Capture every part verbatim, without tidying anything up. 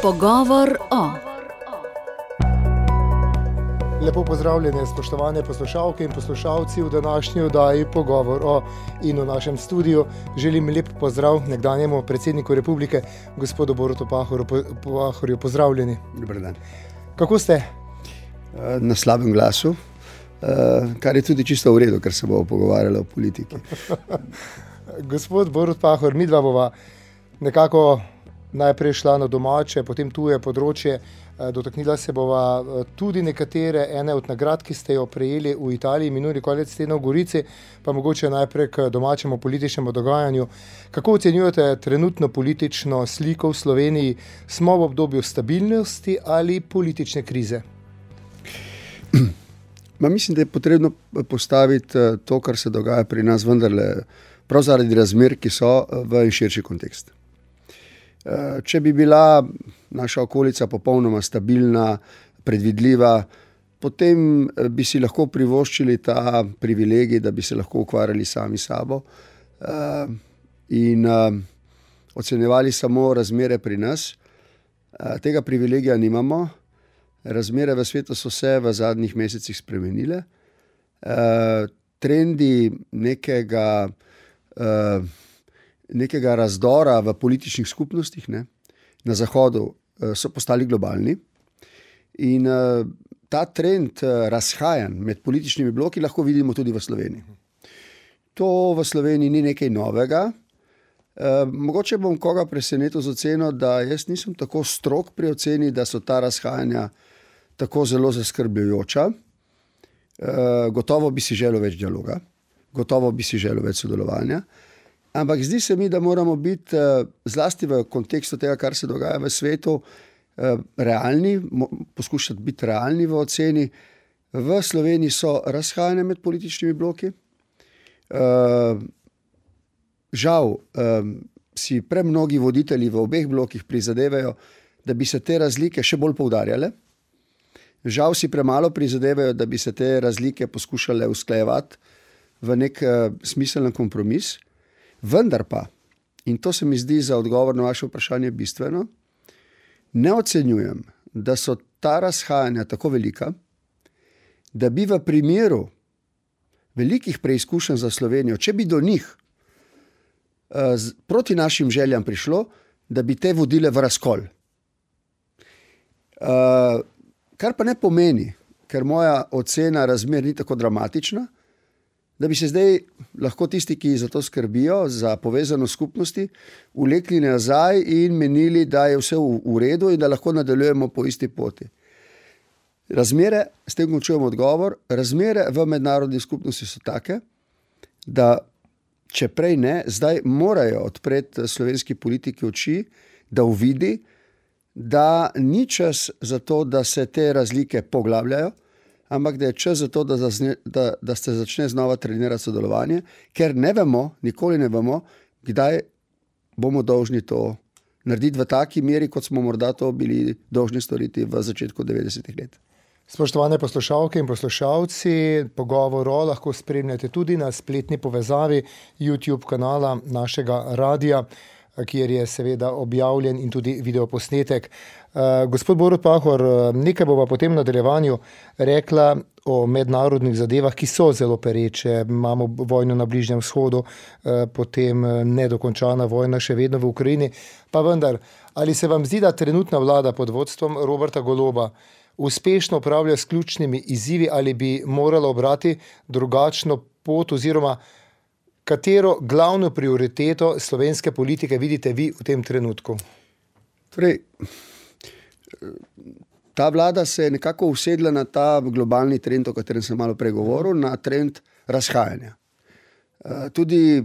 Pogovor o. Lepo pozdravljene, spoštovane poslušalke in poslušalci v današnji oddaji Pogovor o. In v našem studiu želim lep pozdrav nekdanjemu predsedniku republike, gospodu Borutu Pahorju. Pahorju, pozdravljeni. Dober dan. Kako ste? Na slabem glasu, kar je tudi čisto v redu, ker se bomo pogovarjali o politiki. Gospod Borut Pahor, midva bova nekako najprej šla na domače, potem tuje področje. Dotaknila se bova tudi nekatere, ene od nagrad, ki ste jo prejeli v Italiji minuli konec tedna v Gorici, pa mogoče najprej k domačemu političnemu dogajanju. Kako ocenjujete trenutno politično sliko v Sloveniji? Smo v obdobju stabilnosti ali politične krize? Ma mislim, da je potrebno postaviti to, kar se dogaja pri nas, vendarle prav zaradi razmer, ki so, v širši kontekst. Če bi bila naša okolica popolnoma stabilna, predvidljiva, potem bi si lahko privoščili ta privilegij, da bi se lahko ukvarjali sami sabo in ocenjevali samo razmere pri nas. Tega privilegija nimamo. Razmere v svetu so se v zadnjih mesecih spremenile. Trendi nekega nekega razdora v političnih skupnostih, ne, na Zahodu so postali globalni in ta trend razhajanj med političnimi bloki lahko vidimo tudi v Sloveniji. To v Sloveniji ni nekaj novega. Mogoče bom koga presenetil z oceno, da jaz nisem tako strog pri oceni, da so ta razhajanja tako zelo zaskrbljujoča. Gotovo bi si želel več dialoga, gotovo bi si želel več sodelovanja. Ampak zdi se mi, da moramo biti zlasti v kontekstu tega, kar se dogaja v svetu, realni, poskušati biti realni v oceni. V Sloveniji so razhajanja med političnimi bloki. Žal si premnogi voditelji v obeh blokih prizadevajo, da bi se te razlike še bolj poudarjale. Žal si premalo prizadevajo, da bi se te razlike poskušale usklajevati v nek smiseln kompromis. Vendar pa, in to se mi zdi za odgovor na vaše vprašanje bistveno, ne ocenjujem, da so ta razhajanja tako velika, da bi v primeru velikih preizkušenj za Slovenijo, če bi do njih proti našim željam prišlo, da bi te vodile v razkol. Kar pa ne pomeni, ker moja ocena razmer ni tako dramatična, da bi se zdaj lahko tisti, ki za to skrbijo, za povezanost skupnosti, vlekli nazaj in menili, da je vse v, v redu in da lahko nadaljujemo po isti poti. Razmere, s tem končujem odgovor, razmere v mednarodni skupnosti so take, da če prej ne, zdaj morajo odpreti slovenski politiki oči, da uvidi, da ni čas za to, da se te razlike poglabljajo, ampak da je čas za to, da, zazne, da, da se začne znova trenirati sodelovanje, ker ne vemo, nikoli ne vemo, kdaj bomo dolžni to narediti v taki meri, kot smo morda to bili dolžni storiti v začetku devetdesetih let. Spoštovane poslušalke in poslušalci, Pogovor o lahko spremljate tudi na spletni povezavi YouTube kanala našega radia, kjer je seveda objavljen in tudi videoposnetek. Uh, gospod Borut Pahor, nekaj bova potem v nadaljevanju rekla o mednarodnih zadevah, ki so zelo pereče. Imamo vojno na Bližnjem vzhodu, uh, potem nedokončana vojna še vedno v Ukrajini. Pa vendar, ali se vam zdi, da trenutna vlada pod vodstvom Roberta Goloba uspešno upravlja s ključnimi izzivi ali bi morala obrati drugačno pot oziroma katero glavno prioriteto slovenske politike vidite vi v tem trenutku? Torej, ta vlada se je nekako usedla na ta globalni trend, o katerem sem malo pregovoril, na trend razhajanja. Tudi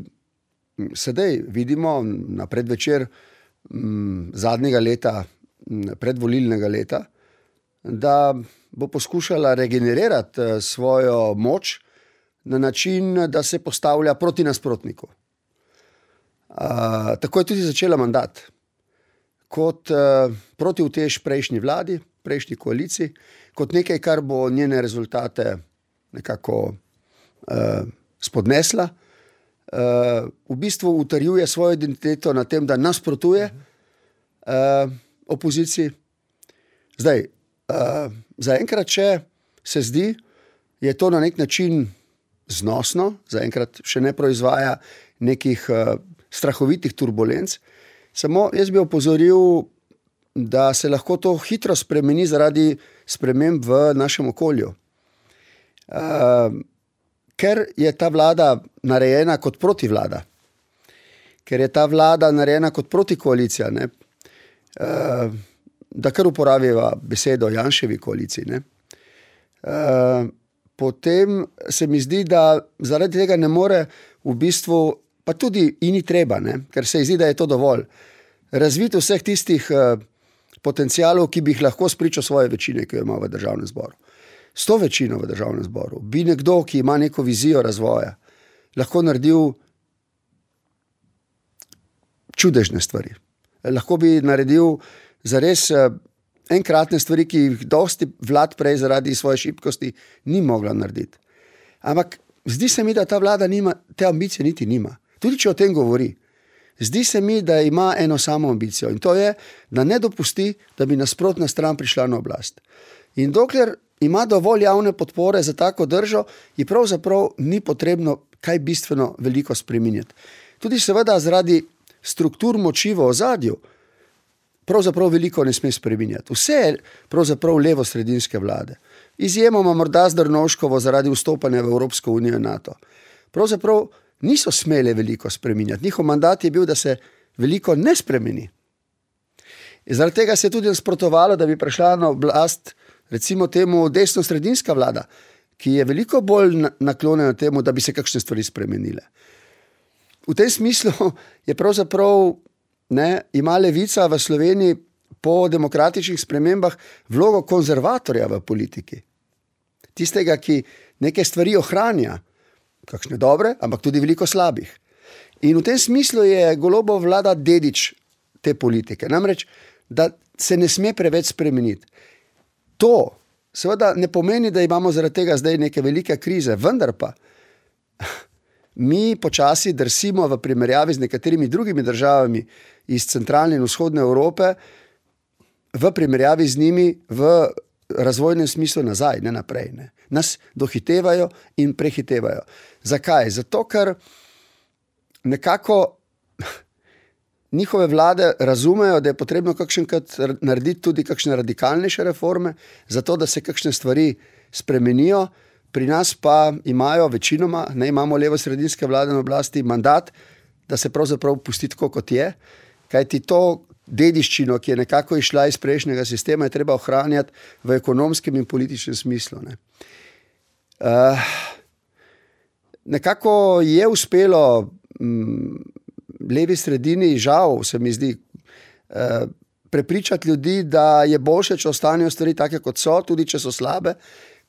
sedaj vidimo na predvečer zadnjega leta, predvolilnega leta, da bo poskušala regenerirati svojo moč na način, da se postavlja proti nasprotniku. Tako je tudi začela mandat. Kot uh, protiutež prejšnji vladi, prejšnji koaliciji, kot nekaj, kar bo njene rezultate nekako uh, spodnesla. Uh, v bistvu utrjuje svojo identiteto na tem, da nasprotuje uh, opoziciji. Zdaj, uh, zaenkrat, če se zdi, je to na nek način znosno, zaenkrat še ne proizvaja nekih uh, strahovitih turbulenc. Samo jaz bi opozoril, da se lahko to hitro spremeni zaradi sprememb v našem okolju. Uh, ker je ta vlada narejena kot protivlada, ker je ta vlada narejena kot protikoalicija, ne, uh, da kar uporabiva besedo Janševi koaliciji, ne, uh, potem se mi zdi, da zaradi tega ne more v bistvu, pa tudi in ni treba, ne, ker se zdi, da je to dovolj, razviti vseh tistih uh, potencialov, ki bi jih lahko spričal svoje večine, ki jo ima v državnem zboru. S to večino v državnem zboru bi nekdo, ki ima neko vizijo razvoja, lahko naredil čudežne stvari. Lahko bi naredil zares enkratne stvari, ki jih dosti vlad prej zaradi svoje šibkosti ni mogla narediti. Ampak zdi se mi, da ta vlada nima, te ambicije niti nima. Tudi če o tem govori. Zdi se mi, da ima eno samo ambicijo in to je, da ne dopusti, da bi nasprotna stran prišla na oblast. In dokler ima dovolj javne podpore za tako držo, ji pravzaprav ni potrebno kaj bistveno veliko spreminjati. Tudi seveda zaradi struktur moči v ozadju pravzaprav veliko ne sme spreminjati. Vse je pravzaprav levo-sredinske vlade. Izjemoma morda z Drnovškovo zaradi vstopanja v Evropsko unijo in NATO. Pravzaprav niso smele veliko spreminjati. Njihov mandat je bil, da se veliko ne spremeni. In zaradi tega se je tudi nasprotovalo, da bi prišla na oblast recimo temu desno-sredinska vlada, ki je veliko bolj naklonjena temu, da bi se kakšne stvari spremenile. V tem smislu je pravzaprav, ne, ima levica v Sloveniji po demokratičnih spremembah vlogo konzervatorja v politiki. Tistega, ki neke stvari ohranja, kakšne dobre, ampak tudi veliko slabih. In v tem smislu je Golobova vlada dedič te politike. Namreč, da se ne sme preveč spremeniti. To seveda ne pomeni, da imamo zaradi tega zdaj neke velike krize, vendar pa mi počasi drsimo v primerjavi z nekaterimi drugimi državami iz centralne in vzhodne Evrope, v primerjavi z njimi v razvojnem smislu nazaj, ne naprej. Ne. Nas dohitevajo in prehitevajo. Zakaj? Zato, ker nekako njihove vlade razumejo, da je potrebno kakšenkrat narediti tudi kakšne radikalnejše reforme, zato da se kakšne stvari spremenijo. Pri nas pa imajo večinoma, ne imamo levo-sredinske vlade na oblasti, mandat, da se pravzaprav pusti tako, kot je, kajti to dediščino, ki je nekako išla iz prejšnjega sistema, je treba ohranjati v ekonomskem in političnem smislu. Ne. Uh, nekako je uspelo m, levi sredini, žal se mi zdi, uh, prepričati ljudi, da je boljše, če ostanejo stvari take, kot so, tudi če so slabe,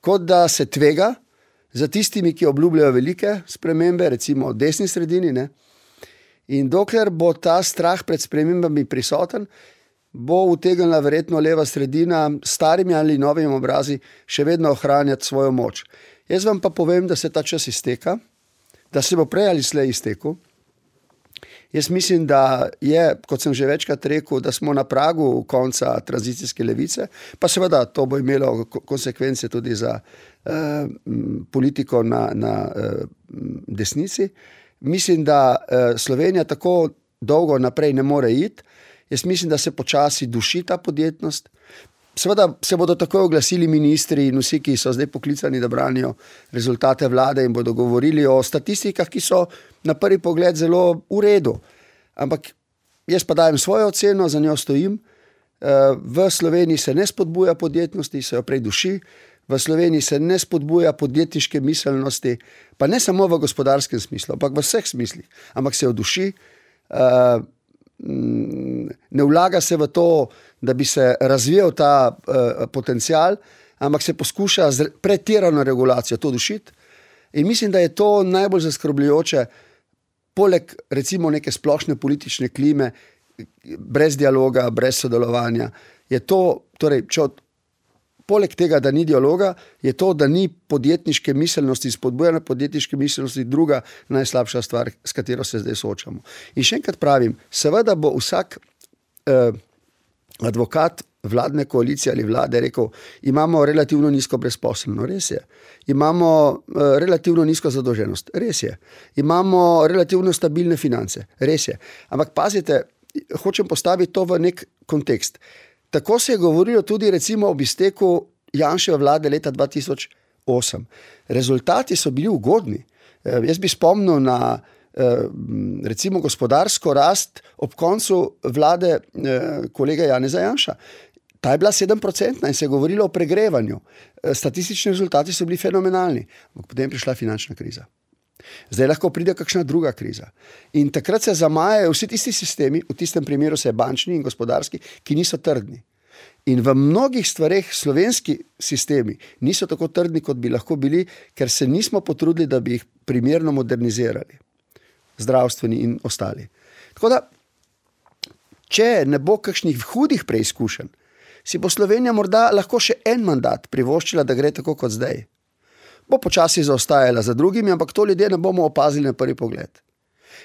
kot da se tvega za tistimi, ki obljubljajo velike spremembe, recimo desni sredini, ne. In dokler bo ta strah pred spremembami prisoten, bo utegnila verjetno leva sredina s starimi ali novimi obrazi še vedno ohranjati svojo moč. Jaz vam pa povem, da se ta čas izteka, da se bo prej ali slej iztekel. Jaz mislim, da je, kot sem že večkrat rekel, da smo na pragu konca tranzicijske levice, pa seveda to bo imelo konsekvence tudi za eh, politiko na, na eh, desnici. Mislim, da eh, Slovenija tako dolgo naprej ne more iti. Jaz mislim, da se počasi duši ta podjetnost. Seveda se bodo tako oglasili ministri in vsi, ki so zdaj poklicani, da branijo rezultate vlade in bodo govorili o statistikah, ki so na prvi pogled zelo v redu. Ampak jaz pa dajem svojo oceno, za njo stojim. V Sloveniji se ne spodbuja podjetnosti, se jo prej duši. V Sloveniji se ne spodbuja podjetniške miselnosti, pa ne samo v gospodarskem smislu, ampak v vseh smislih. Ampak se jo duši. Ne vlaga se v to, da bi se razvijal ta uh, potencial, ampak se poskuša z pretirano regulacijo to dušiti. In mislim, da je to najbolj zaskrbljujoče, poleg recimo neke splošne politične klime, brez dialoga, brez sodelovanja. Je to, torej, če od, poleg tega, da ni dialoga, je to, da ni podjetniške miselnosti, spodbujanja podjetniške miselnosti, druga najslabša stvar, s katero se zdaj soočamo. In še enkrat pravim, seveda bo vsak uh, advokat vladne koalicije ali vlade rekel, imamo relativno nizko brezposelnost, res je. Imamo uh, relativno nizko zadolženost, res je. Imamo relativno stabilne finance, res je. Ampak pazite, hočem postaviti to v nek kontekst. Tako se je govorilo tudi recimo ob izteku Janševe vlade leta dva tisoč osem. Rezultati so bili ugodni. Uh, jaz bi spomnil na recimo gospodarsko rast ob koncu vlade kolega Janeza Janša. Ta je bila sedem procentna in se je govorilo o pregrevanju. Statistični rezultati so bili fenomenalni. Potem je prišla finančna kriza. Zdaj lahko pride kakšna druga kriza. In takrat se zamajajo vsi tisti sistemi, v tistem primeru se je bančni in gospodarski, ki niso trdni. In v mnogih stvareh slovenski sistemi niso tako trdni, kot bi lahko bili, ker se nismo potrudili, da bi jih primerno modernizirali. Zdravstveni in ostali. Tako da, če ne bo kakšnih hudih preizkušenj, si bo Slovenija morda lahko še en mandat privoščila, da gre tako kot zdaj. Bo počasi zaostajala za drugimi, ampak to ljudje ne bomo opazili na prvi pogled.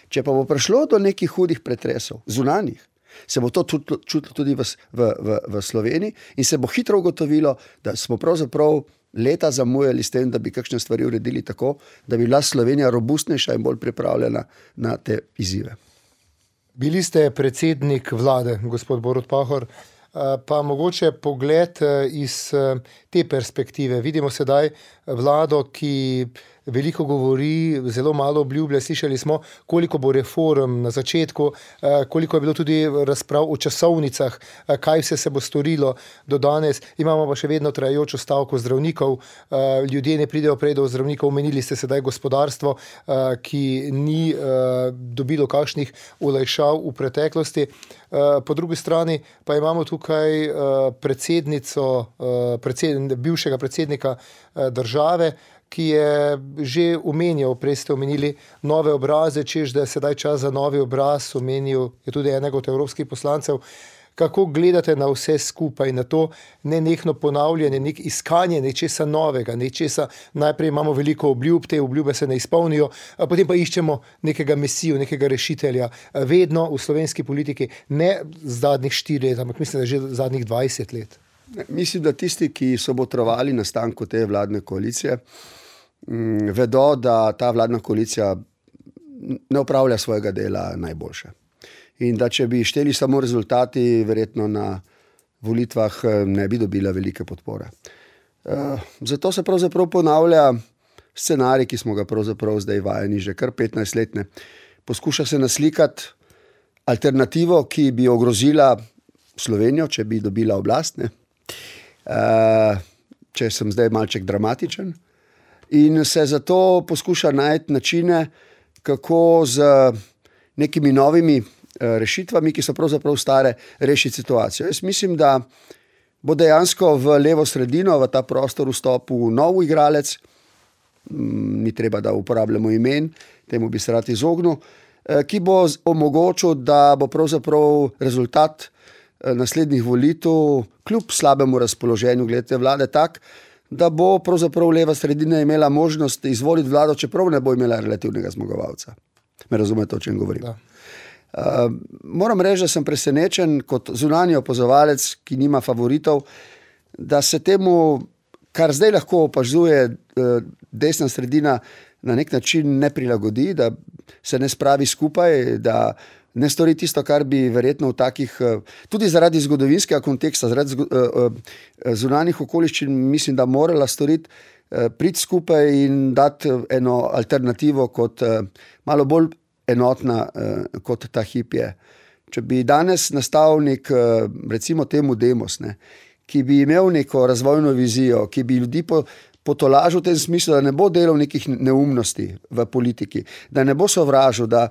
Če pa bo prišlo do nekih hudih pretresov, zunanjih, se bo to čutilo tudi v, v, v, v Sloveniji in se bo hitro ugotovilo, da smo pravzaprav leta zamujali s tem, da bi kakšne stvari uredili tako, da bi bila Slovenija robustnejša in bolj pripravljena na te izzive. Bili ste predsednik vlade, gospod Borut Pahor, pa mogoče pogled iz te perspektive. Vidimo sedaj vlado, ki veliko govori, zelo malo obljublja. Slišali smo, koliko bo reform na začetku, koliko je bilo tudi razprav o časovnicah, kaj vse se bo storilo do danes. Imamo pa še vedno trajajočo stavko zdravnikov. Ljudje ne pridejo prej do zdravnikov. Omenili ste sedaj gospodarstvo, ki ni dobilo kakšnih olajšav v preteklosti. Po drugi strani pa imamo tukaj predsednico, predsed, bivšega predsednika države, ki je že omenjal, prej ste omenili nove obraze, češ da je sedaj čas za novi obraz, omenil je tudi enega od evropskih poslancev. Kako gledate na vse skupaj, na to nenehno ponavljanje, nek iskanje nečesa novega, nečesa, najprej imamo veliko obljub, te obljube se ne izpolnijo, potem pa iščemo nekega mesijo, nekega rešitelja, vedno v slovenski politiki, ne zadnjih štiri let, ampak mislim, da že zadnjih dvajset let. Mislim, da tisti, ki so botrovali nastanku te vladne koalicije, vedo, da ta vladna koalicija ne opravlja svojega dela najboljše. In da če bi šteli samo rezultati, verjetno na volitvah ne bi dobila velike podpore. Zato se pravzaprav ponavlja scenarij, ki smo ga pravzaprav zdaj vajeni že kar petnajst let. Ne. Poskuša se naslikati alternativo, ki bi ogrozila Slovenijo, če bi dobila oblast. Ne. Če sem zdaj malček dramatičen. In se zato poskuša najti načine, kako z nekimi novimi rešitvami, ki so pravzaprav stare, rešiti situacijo. Jaz mislim, da bo dejansko v levo sredino, v ta prostor vstopil nov igralec, ni treba, da uporabljamo imen, temu bi se rad izognil, ki bo omogočil, da bo pravzaprav rezultat naslednjih volitev, kljub slabemu razpoloženju glede vlade, tak, da bo pravzaprav leva sredina imela možnost izvoliti vlado, čeprav ne bo imela relativnega zmagovalca. Me razumete, o čem govorim? Da. Uh, moram reči, da sem presenečen kot zunanji opazovalec, ki nima favoritov, da se temu, kar zdaj lahko opazuje uh, desna sredina, na nek način ne prilagodi, da se ne spravi skupaj, da ne stori tisto, kar bi verjetno v takih, tudi zaradi zgodovinskega konteksta, zaradi zunanjih okoliščin, mislim, da morala storiti, priti skupaj in dati eno alternativo kot malo bolj enotna kot ta hip je. Če bi danes nastal nek, recimo temu Demos, ne, ki bi imel neko razvojno vizijo, ki bi ljudi po, potolažil v tem smislu, da ne bo delal nekih neumnosti v politiki, da ne bo sovražil, da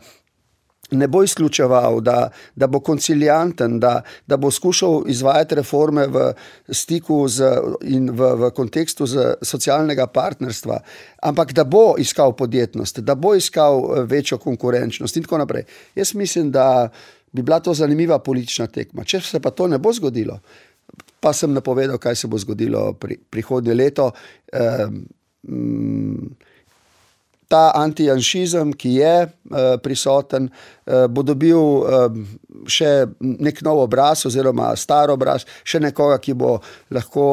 ne bo izključeval, da, da bo koncilianten, da, da bo skušal izvajati reforme v stiku z, in v, v kontekstu z socialnega partnerstva, ampak da bo iskal podjetnost, da bo iskal večjo konkurenčnost in tako naprej. Jaz mislim, da bi bila to zanimiva politična tekma. Če se pa to ne bo zgodilo, pa sem napovedal, kaj se bo zgodilo pri, prihodnje leto, eh, ta antijanšizem, ki je uh, prisoten, uh, bo dobil uh, še nek nov obraz oziroma star obraz, še nekoga, ki bo lahko,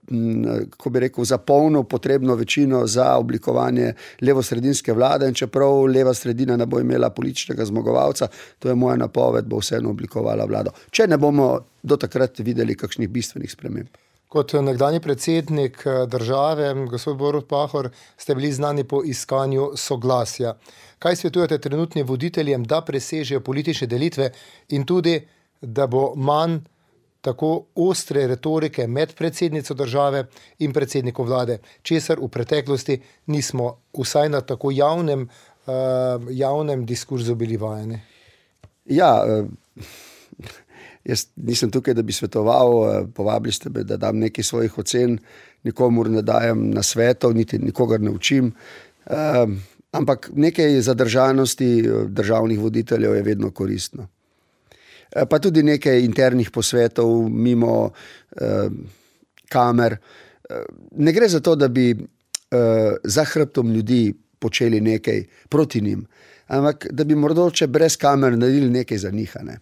um, ko bi rekel, zapolnil potrebno večino za oblikovanje levosredinske vlade, in čeprav leva sredina ne bo imela političnega zmagovalca, to je moja napoved, bo vseeno oblikovala vlado. Če ne bomo do takrat videli kakšnih bistvenih sprememb. Kot nekdanji predsednik države, gospod Borut Pahor, ste bili znani po iskanju soglasja. Kaj svetujete trenutnim voditeljem, da presežejo politične delitve in tudi, da bo manj tako ostre retorike med predsednico države in predsednikom vlade, česar v preteklosti nismo vsaj na tako javnem, uh, javnem diskurzu bili vajeni? Ja, uh... Jaz nisem tukaj, da bi svetoval, povabili ste me, da dam nekaj svojih ocen, nikomur ne dajem na svetov, niti nikogar ne učim, um, ampak nekaj zadržanosti državnih voditeljev je vedno koristno. Pa tudi nekaj internih posvetov mimo um, kamer. Ne gre za to, da bi uh, za hrbtom ljudi počeli nekaj proti njim, ampak da bi morda brez kamer naredili nekaj za njih, ne.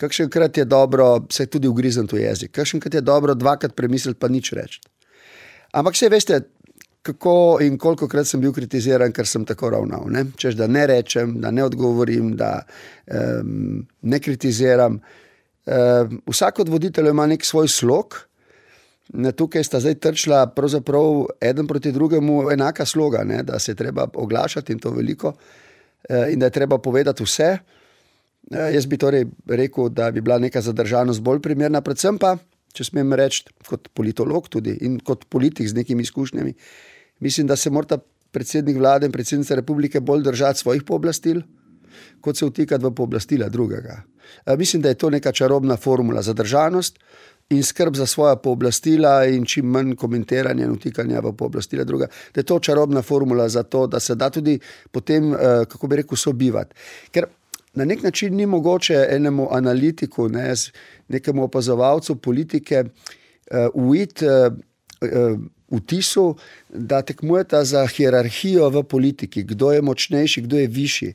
Kakšenkrat je dobro, se tudi ugrizen to jezik, kakšenkrat je dobro dvakrat premisliti pa nič reči. Ampak vse veste, kako in kolikokrat sem bil kritiziran, ker sem tako ravnal. Ne? Češ, da ne rečem, da ne odgovorim, da um, ne kritiziram. Um, vsak od voditeljev ima nek svoj slog. Tukaj sta zdaj trčila pravzaprav eden proti drugemu enaka sloga, ne? Da se je treba oglašati in to veliko in da je treba povedati vse. Jaz bi torej rekel, da bi bila neka zadržanost bolj primerna, predvsem pa, če smem reči, kot politolog tudi in kot politik z nekimi izkušnjami, mislim, da se mora predsednik vlade in predsednica republike bolj držati svojih pooblastil, kot se vtikati v pooblastila drugega. Mislim, da je to neka čarobna formula, zadržanost in skrb za svoja pooblastila in čim manj komentiranja in vtikanja v pooblastila druga. Da je to čarobna formula za to, da se da tudi potem, kako bi rekel, sobivati. Ker na nek način ni mogoče enemu analitiku, ne, nekemu opazovalcu politike uh, ujeti uh, uh, vtisu, da tekmujeta za hierarhijo v politiki, kdo je močnejši, kdo je višji.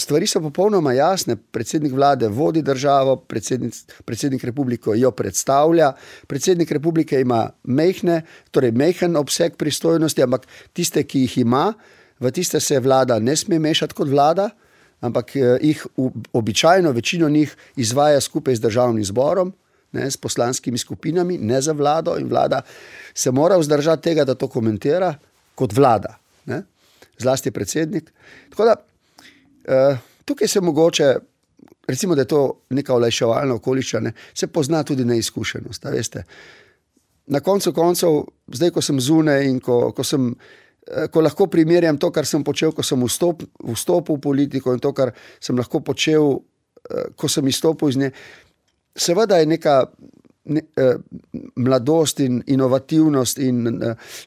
Stvari so popolnoma jasne, predsednik vlade vodi državo, predsednik, predsednik republike jo predstavlja, predsednik republike ima mejhne, torej mejhen obseg pristojnosti, ampak tiste, ki jih ima, v tiste se vlada ne sme mešati kot vlada, ampak jih običajno večino njih izvaja skupaj z državnim zborom, ne, s poslanskimi skupinami, ne za vlado, in vlada se mora vzdržati tega, da to komentira kot vlada, ne, zlasti predsednik. Tako da uh, tukaj se mogoče, recimo, da je to neka olajševalna okoliščina, se pozna tudi neizkušenost, a veste. Na koncu koncev, zdaj, ko sem zunaj in ko, ko sem ko lahko primerjam to, kar sem počel, ko sem vstop, vstopil v politiko in to, kar sem lahko počel, ko sem izstopil iz nje. Seveda je neka ne, mladost in inovativnost in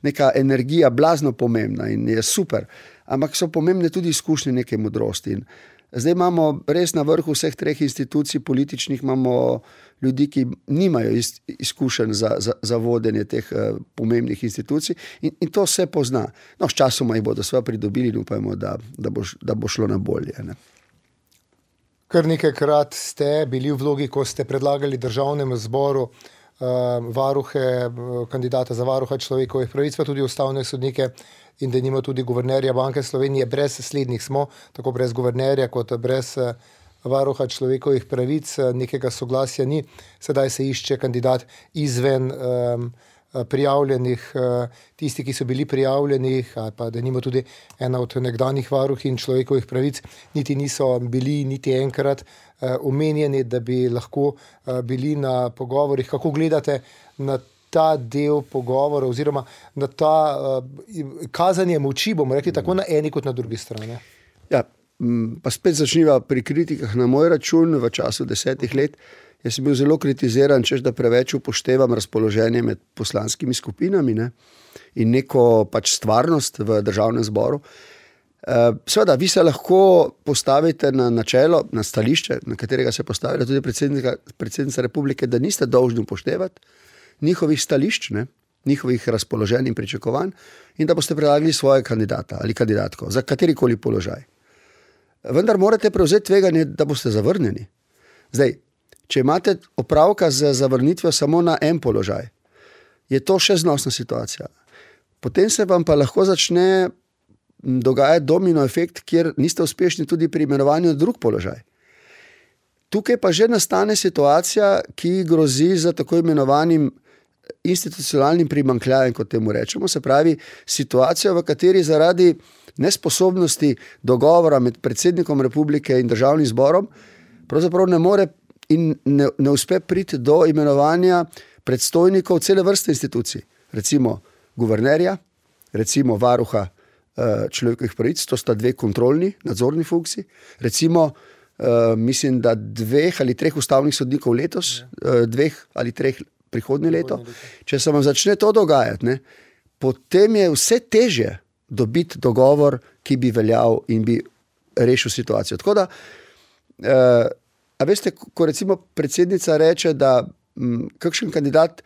neka energija blazno pomembna in je super, ampak so pomembne tudi izkušnje neke modrosti. In zdaj imamo res na vrhu vseh treh institucij političnih, imamo ljudi, ki nimajo izkušenj za, za, za vodenje teh uh, pomembnih institucij in, in to se pozna. No, s časoma jih bodo sva pridobili in upajmo, da, da, bo, da bo šlo na bolje. Ne? Kar nekajkrat ste bili v vlogi, ko ste predlagali državnemu zboru uh, varuhe, kandidata za varuha človekovih pravic, pa tudi ustavne sodnike in da nima tudi guvernerja Banke Slovenije. Brez slednjih smo, tako brez guvernerja kot brez uh, varuha človekovih pravic, nekega soglasja ni. Sedaj se išče kandidat izven um, prijavljenih, uh, tisti, ki so bili prijavljeni, ali pa da nima tudi ena od nekdanjih varuhin človekovih pravic, niti niso bili niti enkrat uh, omenjeni, da bi lahko uh, bili na pogovorih. Kako gledate na ta del pogovora oziroma na ta uh, kazanje moči, bomo rekli, tako na eni kot na drugi strani? Ja, pa spet začniva pri kritikah na moj račun v času desetih let. Jaz sem bil zelo kritiziran, češ da preveč upoštevam razpoloženje med poslanskimi skupinami, ne, in neko pač stvarnost v državnem zboru. Seveda, vi se lahko postavite na načelo, na stališče, na katerega se postavila tudi predsednica, predsednica republike, da niste dolžni upoštevati njihovih stališč, ne. njihovih razpoloženj in pričakovanj in da boste predlagali svoje kandidata ali kandidatko za katerikoli položaj. Vendar morate prevzeti tveganje, da boste zavrnjeni. Zdaj, če imate opravka z zavrnitvijo samo na en položaj, je to še znosna situacija. Potem se vam pa lahko začne dogajati domino efekt, kjer niste uspešni tudi pri imenovanju drug položaj. Tukaj pa že nastane situacija, ki grozi za tako imenovanim institucionalnim primanjkljajem, kot temu rečemo, se pravi situacija, v kateri zaradi nesposobnosti dogovora med predsednikom republike in državnim zborom pravzaprav ne more in ne, ne uspe priti do imenovanja predstojnikov cele vrste institucij. Recimo guvernerja, recimo varuha uh, človekovih pravic, to sta dve kontrolni, nadzorni funkciji, recimo uh, mislim, da dveh ali treh ustavnih sodnikov letos, uh, dveh ali treh prihodnje leto. Če se vam začne to dogajati, ne, potem je vse težje dobiti dogovor, ki bi veljal in bi rešil situacijo. Tako da, uh, a veste, ko recimo predsednica reče, da m, kakšen kandidat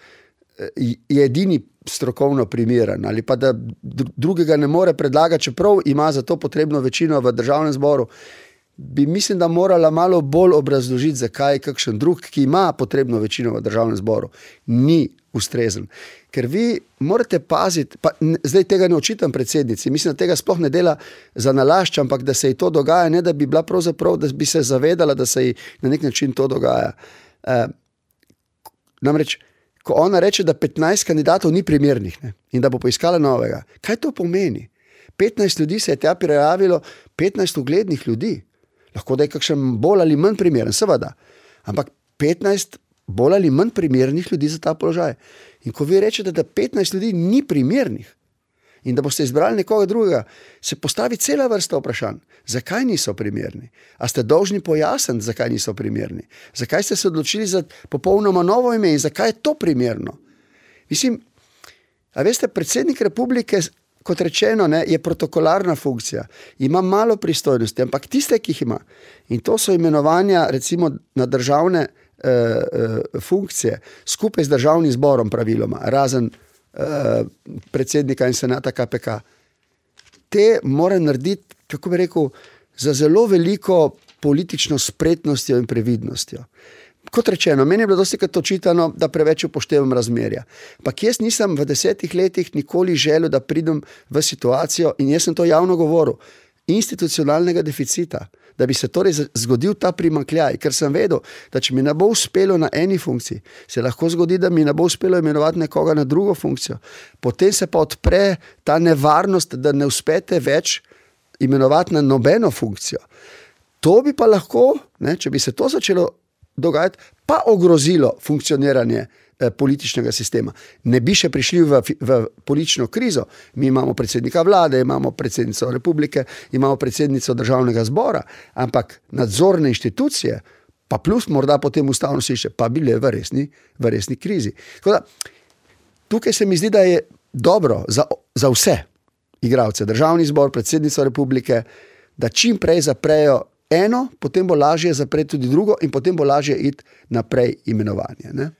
je edini strokovno primeren ali pa da drugega ne more predlagati, čeprav ima za to potrebno večino v državnem zboru, bi mislim, da morala malo bolj obrazložiti, zakaj kakšen drug, ki ima potrebno večino v državnem zboru, ni ustrezen. Ker vi morate paziti, pa zdaj tega ne očitam predsednici, mislim, da tega sploh ne dela za nalašč, ampak da se ji to dogaja, ne da bi bila pravzaprav, da bi se zavedala, da se ji na nek način to dogaja. E, namreč, ko ona reče, da petnajst kandidatov ni primernih, ne, in da bo poiskala novega, kaj to pomeni? petnajst ljudi se je tja prijavilo, petnajst uglednih ljudi. Lahko da je kakšen bolj ali manj primeren, seveda, ampak petnajst bolj ali manj primernih ljudi za ta položaj. In ko vi rečete, da petnajst ljudi ni primernih in da boste izbrali nekoga drugega, se postavi cela vrsta vprašanj. Zakaj niso primerni? A ste dolžni pojasniti, zakaj niso primerni? Zakaj ste se odločili za popolnoma novo ime in zakaj je to primerno? Mislim, a veste, predsednik republike, kot rečeno, ne, je protokolarna funkcija, ima malo pristojnosti, ampak tiste, ki jih ima, in to so imenovanja recimo na državne eh, eh, funkcije, skupaj z državnim zborom praviloma, razen eh, predsednika in senata K P K, te mora narediti, kako bi rekel, za zelo veliko politično spretnostjo in previdnostjo. Kot rečeno, meni je bilo dosti krat očitano, da preveč upoštevam razmerja. Ampak jaz nisem v desetih letih nikoli želel, da pridem v situacijo, in jaz sem to javno govoril, institucionalnega deficita, da bi se torej zgodil ta primanjkljaj, ker sem vedel, da če mi ne bo uspelo na eni funkciji, se lahko zgodi, da mi ne bo uspelo imenovati nekoga na drugo funkcijo. Potem se pa odpre ta nevarnost, da ne uspete več imenovati na nobeno funkcijo. To bi pa lahko, ne, če bi se to začelo dogajati, pa ogrozilo funkcioniranje eh, političnega sistema. Ne bi še prišli v, v politično krizo. Mi imamo predsednika vlade, imamo predsednico republike, imamo predsednico državnega zbora, ampak nadzorne inštitucije, pa plus morda potem ustavno sodišče, pa bile v resni, v resni krizi. Tako da, tukaj se mi zdi, da je dobro za, za vse igralce, državni zbor, predsednico republike, da čim prej zaprejo eno, potem bo lažje zapreti tudi drugo in potem bo lažje iti naprej imenovanje. Ne?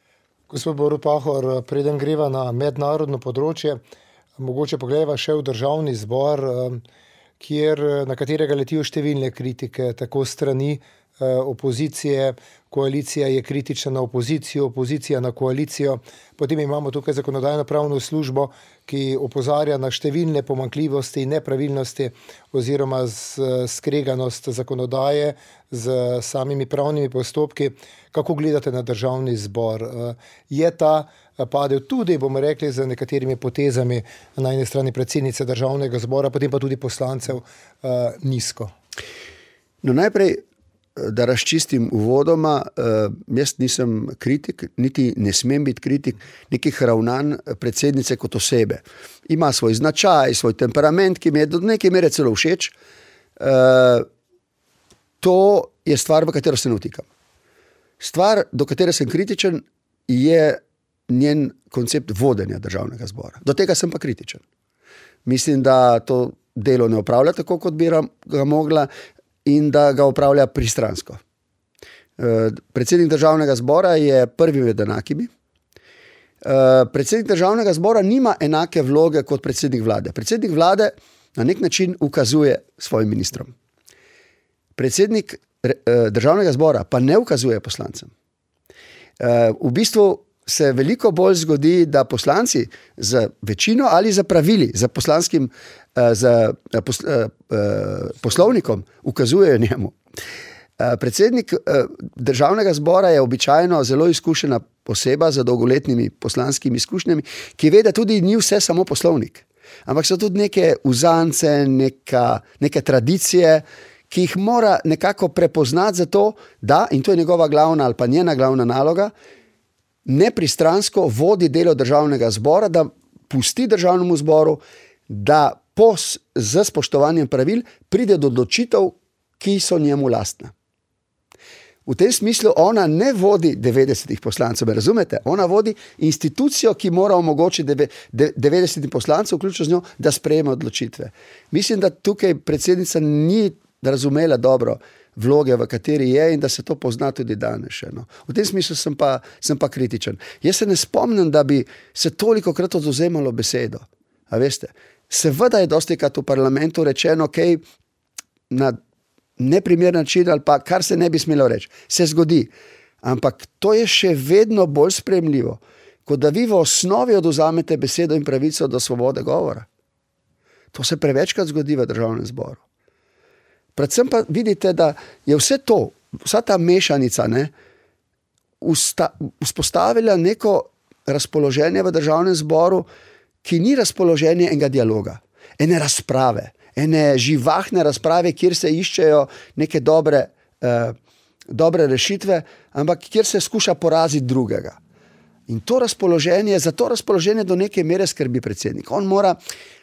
Gospod Borut Pahor, preden greva na mednarodno področje, mogoče pogledava še v državni zbor, kjer, na katerega letijo številne kritike, tako strani opozicije, koalicija je kritična na opozicijo, opozicija na koalicijo. Potem imamo tukaj zakonodajno-pravno službo, ki opozarja na številne pomanjkljivosti in nepravilnosti oziroma skreganost zakonodaje z samimi pravnimi postopki. Kako gledate na državni zbor? Je ta padel tudi, bomo rekli, z nekaterimi potezami na eni strani predsednice državnega zbora, potem pa tudi poslancev nizko? No, najprej, da razčistim uvodoma, jaz nisem kritik, niti ne smem biti kritik nekih ravnanj predsednice kot osebe. Ima svoj značaj, svoj temperament, ki mi je do neke mere celo všeč. To je stvar, v katero se ne vtikam. Stvar, do katere sem kritičen, je njen koncept vodenja državnega zbora. Do tega sem pa kritičen. Mislim, da to delo ne opravlja tako, kot bi ga mogla, in da ga upravlja pristransko. Predsednik državnega zbora je prvi med enakimi. Uh, predsednik državnega zbora nima enake vloge kot predsednik vlade. Predsednik vlade na nek način ukazuje svojim ministrom. Predsednik uh, državnega zbora pa ne ukazuje poslancem. Uh, v bistvu se veliko bolj zgodi, da poslanci z večino ali za pravili, za poslanskim uh, za, uh, pos, uh, uh, poslovnikom ukazujejo njemu. Uh, predsednik uh, državnega zbora je običajno zelo izkušena oseba z dolgoletnimi poslanskimi izkušnjami, ki ve, da tudi ni vse samo poslovnik. Ampak so tudi neke uzance, neka, neke tradicije, ki jih mora nekako prepoznati za to, da, in to je njegova glavna ali pa njena glavna naloga, nepristransko vodi delo državnega zbora, da pusti državnemu zboru, da po, z spoštovanjem pravil pride do odločitev, ki so njemu lastne. V tem smislu ona ne vodi devetdesetih poslancev, razumete? Ona vodi institucijo, ki mora omogočiti devetdesetim poslancev, vključno z njo, da sprejme odločitve. Mislim, da tukaj predsednica ni razumela dobro vloge, v kateri je, in da se to pozna tudi danes še. No. V tem smislu sem pa, sem pa kritičen. Jaz se ne spomnim, da bi se toliko krat odvzemalo besedo. A veste, seveda je dostikrat v parlamentu rečeno, kaj na neprimer način ali pa kar se ne bi smelo reči. Se zgodi. Ampak to je še vedno bolj sprejemljivo, kot da vi v osnovi odvzamete besedo in pravico do svobode govora. To se prevečkrat zgodi v državnem zboru. Predvsem pa vidite, da je vse to, vsa ta mešanica, ne, usta, vzpostavila neko razpoloženje v državnem zboru, ki ni razpoloženje enega dialoga, ene razprave, ene živahne razprave, kjer se iščejo neke dobre, eh, dobre rešitve, ampak kjer se skuša poraziti drugega. In to razpoloženje, za to razpoloženje do neke mere skrbi predsednik. On mora,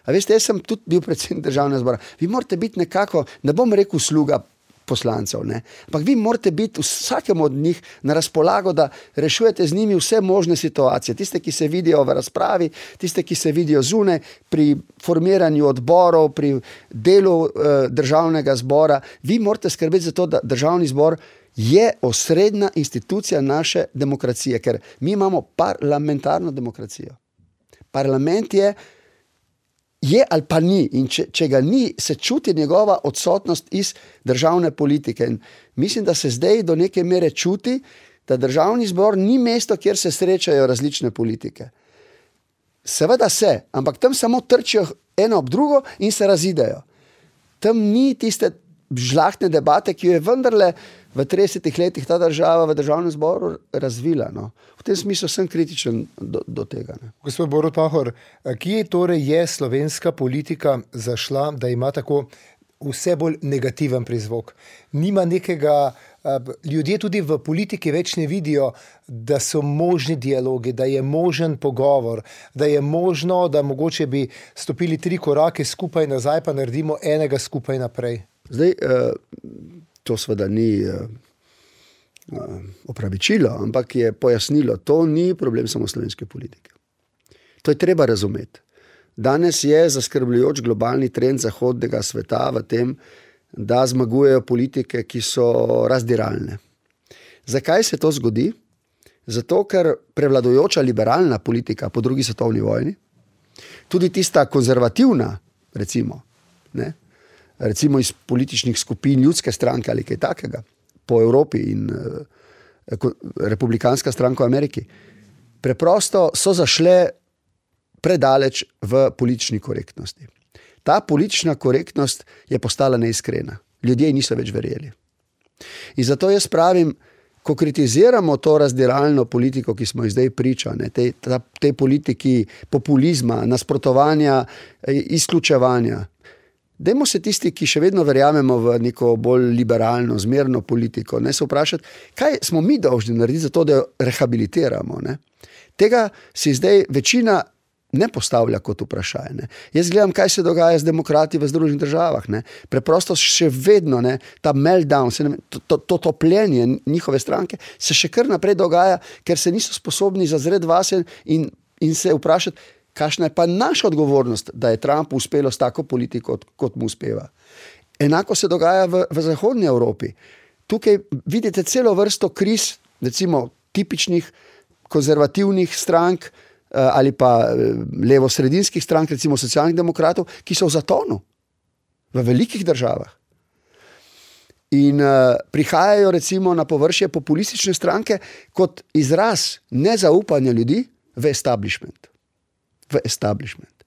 a veste, jaz sem tudi bil predsednik državnega zbora, vi morate biti nekako, ne bom rekel sluga poslancev, ne, ampak vi morate biti vsakemu od njih na razpolago, da rešujete z njimi vse možne situacije, tiste, ki se vidijo v razpravi, tiste, ki se vidijo zunaj, pri formiranju odborov, pri delu eh, državnega zbora. Vi morate skrbeti za to, da državni zbor je osrednja institucija naše demokracije, ker mi imamo parlamentarno demokracijo. Parlament je, je ali pa ni, in če, če ga ni, se čuti njegova odsotnost iz državne politike. In mislim, da se zdaj do neke mere čuti, da državni zbor ni mesto, kjer se srečajo različne politike. Seveda se, ampak tam samo trčijo eno ob drugo in se razidejo. Tam ni tiste žlahtne debate, ki jo je vendarle v tridesetih letih ta država v državnem zboru razvila. No. V tem smislu sem kritičen do, do tega. Ne. Gospod Borut Pahor, kje torej je slovenska politika zašla, da ima tako vse bolj negativen prizvok? Nima nekega, ljudje tudi v politiki več ne vidijo, da so možni dialogi, da je možen pogovor, da je možno, da mogoče bi stopili tri korake skupaj nazaj, pa naredimo enega skupaj naprej. Zdaj, to seveda ni opravičilo, ampak je pojasnilo, to ni problem samo slovenske politike. To je treba razumeti. Danes je zaskrbljujoč globalni trend zahodnega sveta v tem, da zmagujejo politike, ki so razdiralne. Zakaj se to zgodi? Zato, ker prevladujoča liberalna politika po drugi svetovni vojni, tudi tista konzervativna, recimo, ne, recimo iz političnih skupin ljudske stranke ali kaj takega, po Evropi in eh, republikanska stranka v Ameriki, preprosto so zašle predaleč v politični korektnosti. Ta politična korektnost je postala neiskrena. Ljudje niso več verjeli. In zato jaz pravim, ko kritiziramo to razdiralno politiko, ki smo jih zdaj priča, ne, tej, ta, tej politiki populizma, nasprotovanja, izključevanja, dajmo se tisti, ki še vedno verjamemo v neko bolj liberalno, zmerno politiko, ne, se vprašati, kaj smo mi dolžni narediti za to, da jo rehabilitiramo. Ne. Tega si zdaj večina ne postavlja kot vprašanje. Ne. Jaz gledam, kaj se dogaja z demokrati v Združenih državah. Ne. Preprosto še vedno, ne, ta meltdown, se ne, to, to, to topljenje njihove stranke se še kar naprej dogaja, ker se niso sposobni zazreti vase in, in se vprašati, kakšna je pa naša odgovornost, da je Trump uspelo s tako politiko, kot mu uspeva. Enako se dogaja v, v zahodnji Evropi. Tukaj vidite celo vrsto kriz, recimo tipičnih konzervativnih strank, ali pa levo-sredinskih strank, recimo socialnih demokratov, ki so v zatonu v velikih državah. In uh, prihajajo recimo na površje populistične stranke kot izraz nezaupanja ljudi v establishment. V establishment.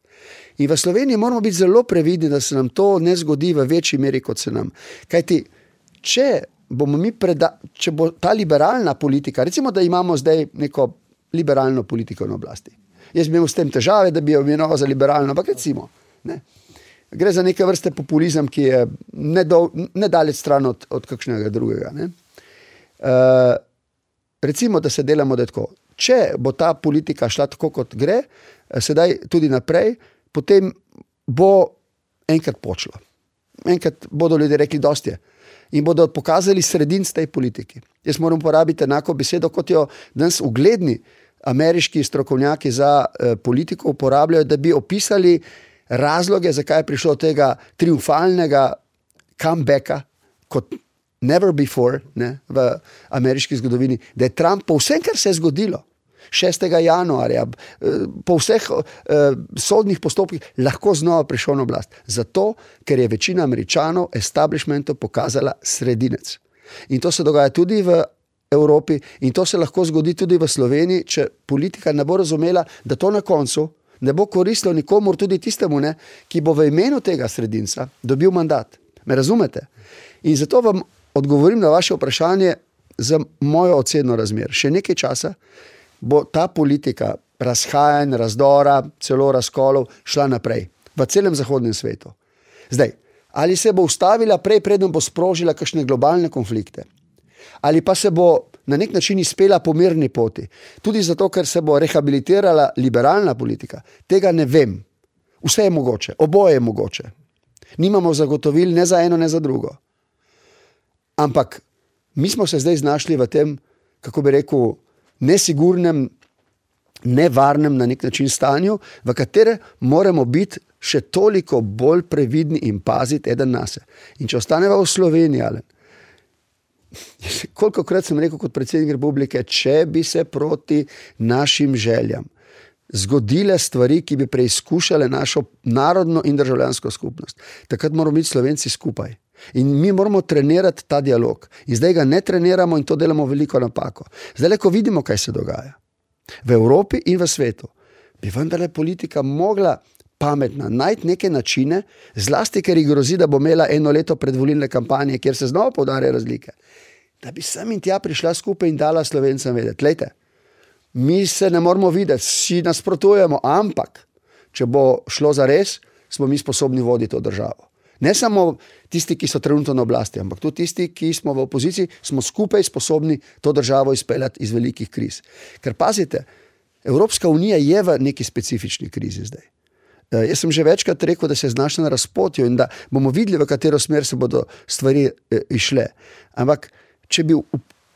In v Sloveniji moramo biti zelo previdni, da se nam to ne zgodi v večji meri, kot se nam. Kajti, če bomo mi preda, če bo ta liberalna politika, recimo, da imamo zdaj neko liberalno politiko na oblasti. Jaz bi imel s tem težave, da bi jo imenoval za liberalno, ampak recimo, ne. Gre za neke vrste populizem, ki je nedaleč stran od, od kakšnega drugega. Ne? Uh, recimo, da se delamo, da je tako. Če bo ta politika šla tako, kot gre, sedaj tudi naprej, potem bo enkrat počlo. Enkrat bodo ljudje rekli, dosti je. In bodo pokazali sredinc tej politiki. Jaz moram uporabiti enako besedo, kot jo danes ugledni ameriški strokovnjaki za uh, politiko uporabljajo, da bi opisali razloge, zakaj je prišlo tega triumfalnega comebacka kot never before, ne, v ameriški zgodovini, da je Trump po vsem, kar se je zgodilo šestega januarja, po vseh eh, sodnih postopkih lahko znova prišel na oblast. Zato, ker je večina Američanov establishmentu pokazala sredinec. In to se dogaja tudi v Evropi in to se lahko zgodi tudi v Sloveniji, če politika ne bo razumela, da to na koncu ne bo koristilo nikomur, tudi tistemu, ne, ki bo v imenu tega sredinca dobil mandat. Me razumete? In zato vam odgovorim na vaše vprašanje za mojo oceno razmer. Še nekaj časa bo ta politika razhajanj, razdora, celo razkolov šla naprej v celem zahodnem svetu. Zdaj, ali se bo ustavila prej, preden bo sprožila kakšne globalne konflikte? Ali pa se bo na nek način izpela po mirni poti. Tudi zato, ker se bo rehabilitirala liberalna politika. Tega ne vem. Vse je mogoče. Oboje je mogoče. Nimamo zagotovil ne za eno, ne za drugo. Ampak mi smo se zdaj znašli v tem, kako bi rekel, nesigurnem, nevarnem na nek način stanju, v katere moramo biti še toliko bolj previdni in paziti eden nase. In če ostaneva v Sloveniji, ali kolikokrat sem rekel kot predsednik republike, če bi se proti našim željam zgodile stvari, ki bi preizkušale našo narodno in državljansko skupnost, takrat moramo biti Slovenci skupaj. In mi moramo trenirati ta dialog. In zdaj ga ne treniramo in to delamo veliko napako. Zdaj, ko vidimo, kaj se dogaja v Evropi in v svetu, bi vendarle politika mogla pametna najti neke načine, zlasti, ker ji grozi, da bo imela eno leto predvolilne kampanje, kjer se znova poudarjajo razlike, da bi sem in tja prišla skupaj in dala Slovencem vedeti. Lejte, mi se ne moramo videti, si nasprotujemo, ampak če bo šlo za res, smo mi sposobni voditi to državo. Ne samo tisti, ki so trenutno na oblasti, ampak tudi tisti, ki smo v opoziciji, smo skupaj sposobni to državo izpeljati iz velikih kriz. Ker pazite, Evropska unija je v neki specifični krizi zdaj. Jaz sem že večkrat rekel, da se je znašla na razpotju in da bomo videli, v katero smer se bodo stvari išle. Ampak, če bi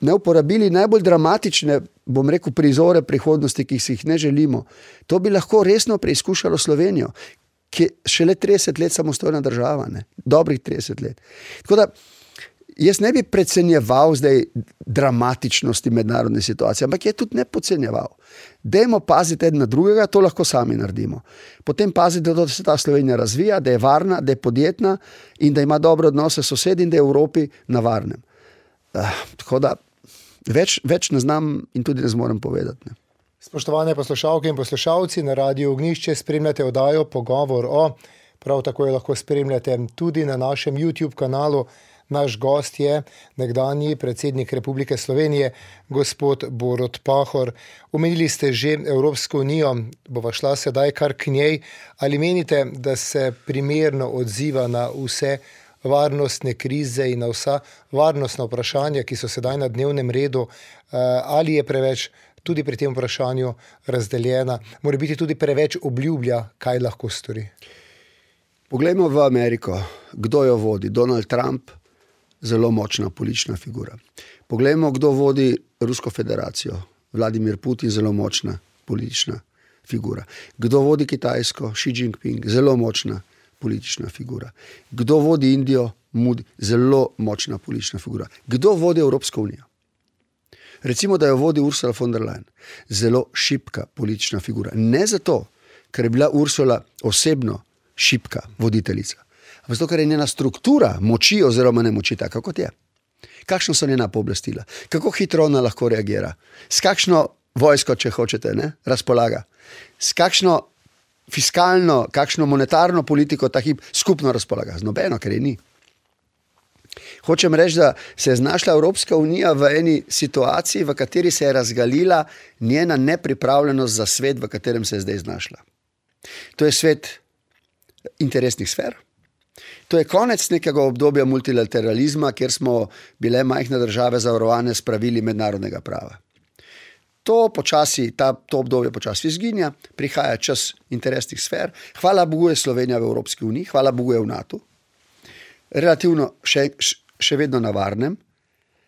ne uporabili najbolj dramatične, bom rekel, prizore prihodnosti, ki si jih ne želimo, to bi lahko resno preizkušalo Slovenijo, ki je šele trideset let samostojna država, ne? Dobrih trideset let. Tako da, jaz ne bi precenjeval zdaj dramatičnosti mednarodne situacije, ampak je tudi ne podcenjeval. Dajmo paziti eden na drugega, to lahko sami naredimo. Potem pazite, da se ta Slovenija razvija, da je varna, da je podjetna in da ima dobre odnose s sosedi in da je v Evropi na varnem. Uh, tako da, več, več ne znam in tudi ne zmorem povedati. Ne. Spoštovane poslušalke in poslušalci, na Radiu Ognjišče spremljate oddajo Pogovor o, prav tako jo lahko spremljate tudi na našem YouTube kanalu. Naš gost je nekdanji predsednik Republike Slovenije, gospod Borut Pahor. Omenili ste že Evropsko unijo, bova šla sedaj kar k njej. Ali menite, da se primerno odziva na vse varnostne krize in na vsa varnostna vprašanja, ki so sedaj na dnevnem redu, ali je preveč tudi pri tem vprašanju razdeljena, mora biti tudi preveč obljublja, kaj lahko stori? Poglejmo v Ameriko, kdo jo vodi? Donald Trump, zelo močna politična figura. Poglejmo, kdo vodi Rusko federacijo. Vladimir Putin, zelo močna politična figura. Kdo vodi Kitajsko? Xi Jinping, zelo močna politična figura. Kdo vodi Indijo? Modi, zelo močna politična figura. Kdo vodi Evropsko unijo? Recimo, da jo vodi Ursula von der Leyen. Zelo šibka politična figura. Ne zato, ker je bila Ursula osebno šibka voditeljica, ampak zato, ker je njena struktura moči oziroma nemoči taka, kot je. Kakšno so njena pooblastila? Kako hitro ona lahko reagira? S kakšno vojsko, če hočete, ne, razpolaga? S kakšno fiskalno, kakšno monetarno politiko ta hip skupno razpolaga? Z nobeno, ker je ni. Hočem reči, da se je znašla Evropska unija v eni situaciji, v kateri se je razgalila njena nepripravljenost za svet, v katerem se je zdaj znašla. To je svet interesnih sfer. To je konec nekega obdobja multilateralizma, kjer smo bile majhne države zavarovane s pravili mednarodnega prava. To, počasi, ta, to obdobje počasi izginja, prihaja čas interesnih sfer. Hvala Bogu je Slovenija v Evropski uniji, hvala Bogu je v NATO. Relativno še, še vedno na varnem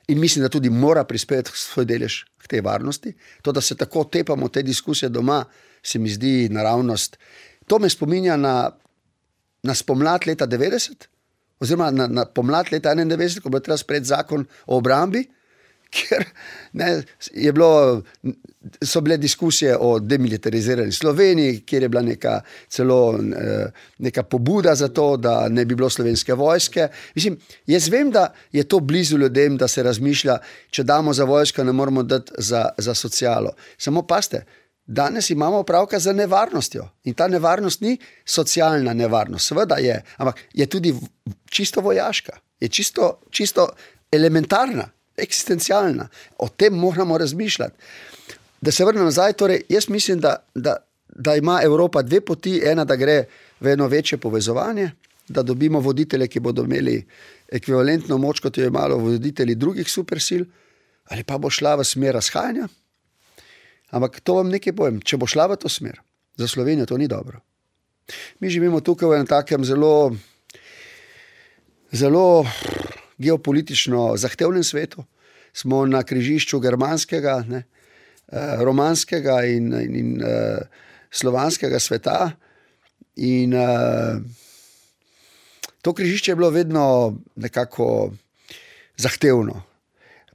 in mislim, da tudi mora prispevati svoj delež k tej varnosti. To, da se tako tepamo te diskusije doma, se mi zdi naravnost. To me spominja na, na spomlad leta devetdeset, oziroma na, na pomlad leta enaindevetdeset, ko bo treba sprejeti zakon o obrambi, kjer ne, je bilo, so bile diskusije o demilitarizirani Sloveniji, kjer je bila neka celo neka pobuda za to, da ne bi bilo slovenske vojske. Mislim, jaz vem, da je to blizu ljudem, da se razmišlja, če damo za vojsko, ne moramo dati za, za socialo. Samo paste, danes imamo opravka z nevarnostjo in ta nevarnost ni socialna nevarnost, seveda je, ampak je tudi čisto vojaška, je čisto, čisto elementarna, eksistencialna. O tem moramo razmišljati. Da se vrnem nazaj, torej jaz mislim, da, da, da ima Evropa dve poti, ena, da gre v eno večje povezovanje, da dobimo voditelje, ki bodo imeli ekvivalentno moč, kot jo je imalo voditelji drugih supersil, ali pa bo šla v smer razhajanja. Ampak to vam nekaj povem, če bo šla v to smer, za Slovenijo to ni dobro. Mi živimo tukaj v enem takem zelo, zelo geopolitično zahtevnem svetu. Smo na križišču germanskega, ne, romanskega in, in, in uh, slovanskega sveta in uh, to križišče je bilo vedno nekako zahtevno.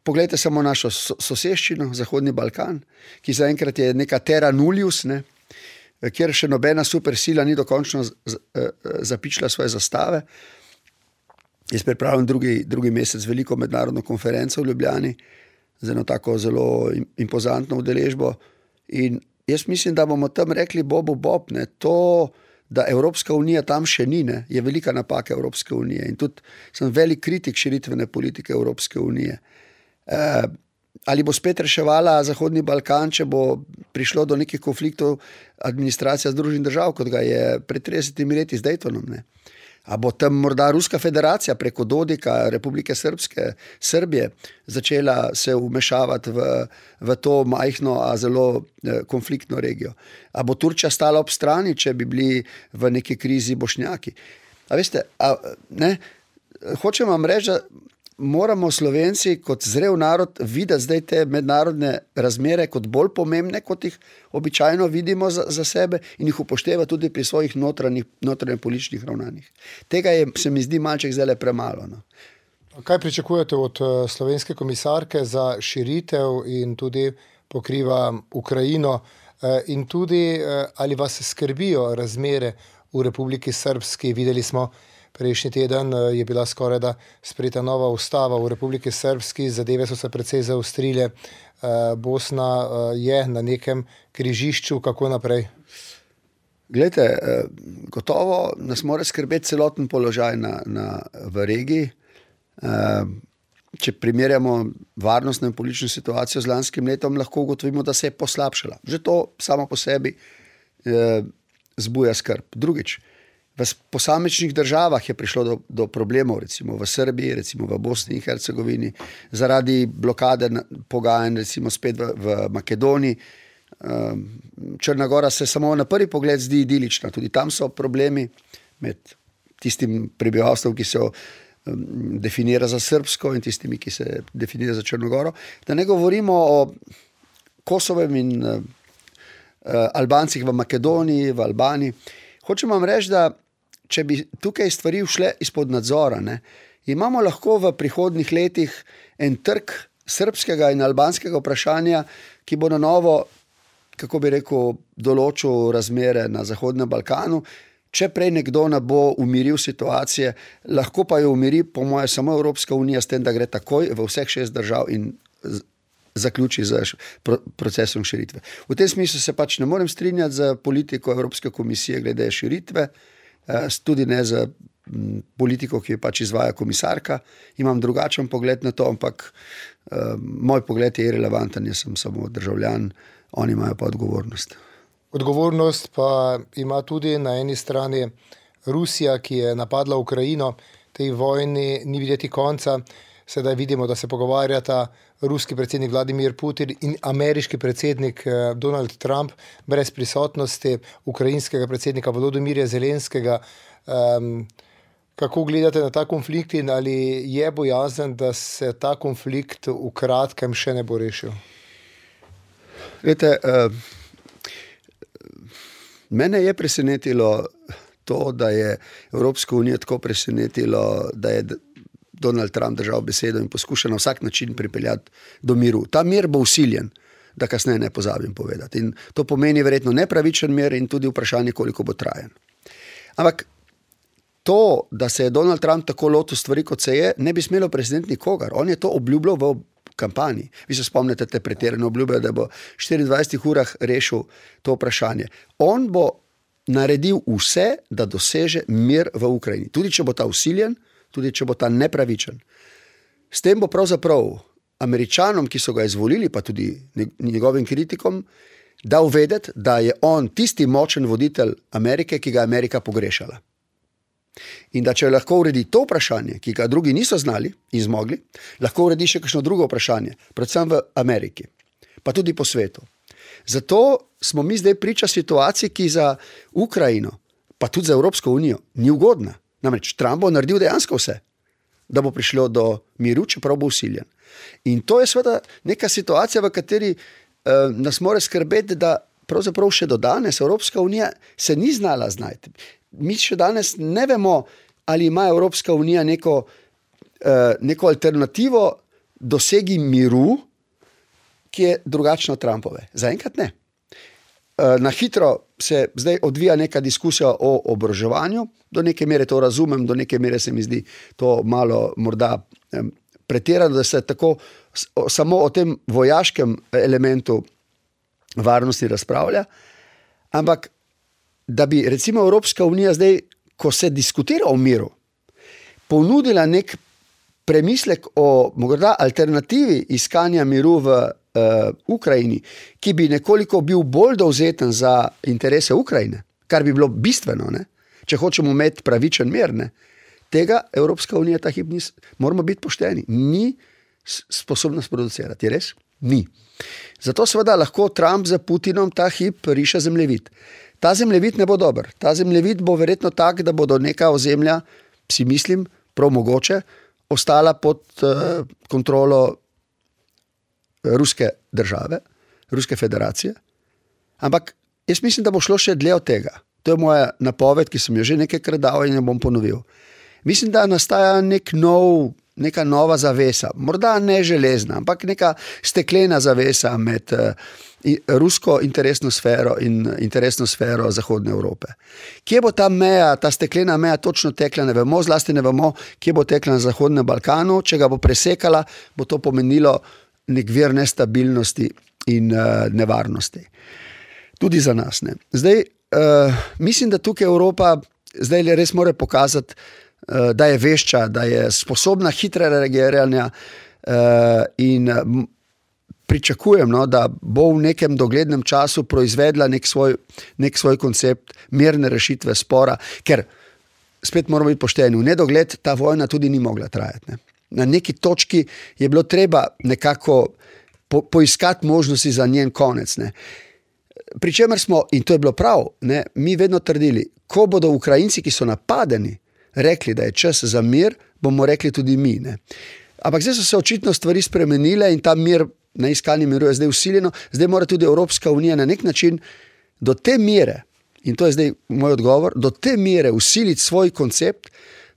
Poglejte samo našo soseščino, Zahodni Balkan, ki zaenkrat je neka terra nullius, ne, kjer še nobena supersila ni dokončno z, z, zapičila svoje zastave. Jaz pripravljam drugi, drugi mesec veliko mednarodno konferenco v Ljubljani z eno tako zelo impozantno udeležbo in jaz mislim, da bomo tam rekli bobu bob, ne, to, da Evropska unija tam še ni, ne, je velika napaka Evropske unije in tudi sem velik kritik širitvene politike Evropske unije. E, ali bo spet reševala Zahodni Balkan, če bo prišlo do nekih konfliktov administracija Združenih držav, kot ga je pred tridesetimi leti z Daytonom, ne. A bo tam morda Ruska federacija preko Dodika, Republike Srpske, Srbije, začela se vmešavati v, v to majhno, a zelo konfliktno regijo. A bo Turčija stala ob strani, če bi bili v neki krizi Bošnjaki. A veste, a, ne, hočem vam reči, da moramo Slovenci kot zrel narod videti zdaj te mednarodne razmere kot bolj pomembne, kot jih običajno vidimo za, za sebe in jih upošteva tudi pri svojih notranjih, notranjih političnih ravnanjih. Tega je, se mi zdi malček zdaj premalo. No. Kaj pričakujete od slovenske komisarke za širitev in tudi pokriva Ukrajino in tudi ali vas skrbijo razmere v Republiki Srpski? Videli smo, prejšnji teden je bila skoraj da sprejeta nova ustava v Republiki Srpski, zadeve so se precej zaostrile. Bosna je na nekem križišču, kako naprej? Glejte, gotovo nas mora skrbeti celoten položaj na, na, v regiji. Če primerjamo varnostno in politično situacijo z lanskim letom, lahko ugotovimo, da se je poslabšala. Že to samo po sebi zbuja skrb. Drugič, v posamičnih državah je prišlo do, do problemov, recimo v Srbiji, recimo v Bosni in Hercegovini, zaradi blokade pogajanj, recimo spet v, v Makedoniji. Črna Gora se samo na prvi pogled zdi idilična, tudi tam so problemi med tistim prebivalstvom, ki se definira za srbsko in tistimi, ki se definira za Črno Goro. Da ne govorimo o Kosovem in uh, Albancih v Makedoniji, v Albaniji. Hočem vam reči, da če bi tukaj stvari šle izpod nadzora, ne, imamo lahko v prihodnjih letih en trg srbskega in albanskega vprašanja, ki bo na novo, kako bi rekel, določil razmere na Zahodnem Balkanu. Če prej nekdo ne bo umiril situacije, lahko pa jo umiri, po moje, samo Evropska unija s tem, da gre takoj v vseh šest držav in zaključi z procesom širitve. V tem smislu se pač ne morem strinjati z politiko Evropske komisije glede širitve, tudi ne z politiko, ki jo pač izvaja komisarka. Imam drugačen pogled na to, ampak moj pogled je irelevanten, jaz sem samo državljan, oni imajo pa odgovornost. Odgovornost pa ima tudi na eni strani Rusija, ki je napadla Ukrajino. Tej vojni ni videti konca. Sedaj vidimo, da se pogovarjata ruski predsednik Vladimir Putin in ameriški predsednik Donald Trump brez prisotnosti ukrajinskega predsednika Volodymyrja Zelenskega. Um, kako gledate na ta konflikt in ali je bojazen, da se ta konflikt v kratkem še ne bo rešil? Vete, uh... Mene je presenetilo to, da je Evropska unija tako presenetilo, da je Donald Trump držal besedo in poskuša na vsak način pripeljati do miru. Ta mir bo usiljen, da kasneje ne pozabim povedati. In to pomeni verjetno nepravičen mir in tudi vprašanje, koliko bo trajen. Ampak to, da se je Donald Trump tako lotil stvari, kot se je, ne bi smelo presenetiti nikogar. On je to obljubljal v kampanji. Vi se spomnite te pretirane obljube, da bo v štiriindvajsetih urah rešil to vprašanje. On bo naredil vse, da doseže mir v Ukrajini. Tudi če bo ta usiljen, tudi če bo ta nepravičen. S tem bo pravzaprav Američanom, ki so ga izvolili, pa tudi njegovim kritikom, dal vedeti, da je on tisti močen voditelj Amerike, ki ga Amerika pogrešala. In da če lahko uredi to vprašanje, ki ga drugi niso znali in zmogli, lahko uredi še kakšno drugo vprašanje, predvsem v Ameriki, pa tudi po svetu. Zato smo mi zdaj priča situaciji, ki za Ukrajino, pa tudi za Evropsko unijo, ni ugodna. Namreč Trump bo naredil dejansko vse, da bo prišlo do miru, čeprav bo usiljen. In to je seveda neka situacija, v kateri eh, nas mora skrbeti, da pravzaprav še do danes Evropska unija se ni znala znajti. Mi še danes ne vemo, ali ima Evropska unija neko, uh, neko alternativo dosegi miru, ki je drugačna od Trumpove. Zaenkrat ne. Uh, na hitro se zdaj odvija neka diskusija o oboroževanju, do neke mere to razumem, do neke mere se mi zdi to malo morda um, pretirano, da se tako o, samo o tem vojaškem elementu varnosti razpravlja, ampak da bi recimo Evropska unija zdaj, ko se diskutira o miru, ponudila nek premislek o morda alternativi iskanja miru v uh, Ukrajini, ki bi nekoliko bil bolj dovzeten za interese Ukrajine, kar bi bilo bistveno, ne? Če hočemo imeti pravičen mir, ne? Tega Evropska unija ta hip ni, moramo biti pošteni, ni sposobna sproducirati, je res? Ni. Zato seveda lahko Trump za Putinom ta hip riše zemljevid. Ta zemljevid ne bo dober. Ta zemljevid bo verjetno tak, da bodo neka ozemlja, si mislim, prav mogoče, ostala pod uh, kontrolo Ruske države, Ruske federacije. Ampak jaz mislim, da bo šlo še dlje od tega. To je moja napoved, ki sem jo že nekajkrat dal in jo bom ponovil. Mislim, da nastaja nek nov, neka nova zavesa, morda ne železna, ampak neka steklena zavesa med uh, rusko interesno sfero in interesno sfero Zahodne Evrope. Kje bo ta meja, ta steklena meja točno tekla, ne vemo, zlasti ne vemo, kje bo tekla na Zahodnem Balkanu, če ga bo presekala, bo to pomenilo nek vir nestabilnosti in uh, nevarnosti. Tudi za nas, ne. Zdaj, uh, mislim, da tukaj Evropa zdaj res mora pokazati, uh, da je vešča, da je sposobna hitre reagiranja uh, in uh, pričakujem, no, da bo v nekem doglednem času proizvedla nek svoj, nek svoj koncept mirne rešitve spora, ker spet moramo biti pošteni, v nedogled ta vojna tudi ni mogla trajati. Ne. Na neki točki je bilo treba nekako po, poiskati možnosti za njen konec. Ne. Pričemer smo, in to je bilo prav, ne, mi vedno trdili, ko bodo Ukrajinci, ki so napadeni, rekli, da je čas za mir, bomo rekli tudi mi. Ne. Ampak zdaj so se očitno stvari spremenile in ta mir na iskanju miru je zdaj usiljeno, zdaj mora tudi Evropska unija na nek način do te mere, in to je zdaj moj odgovor, do te mere usiliti svoj koncept,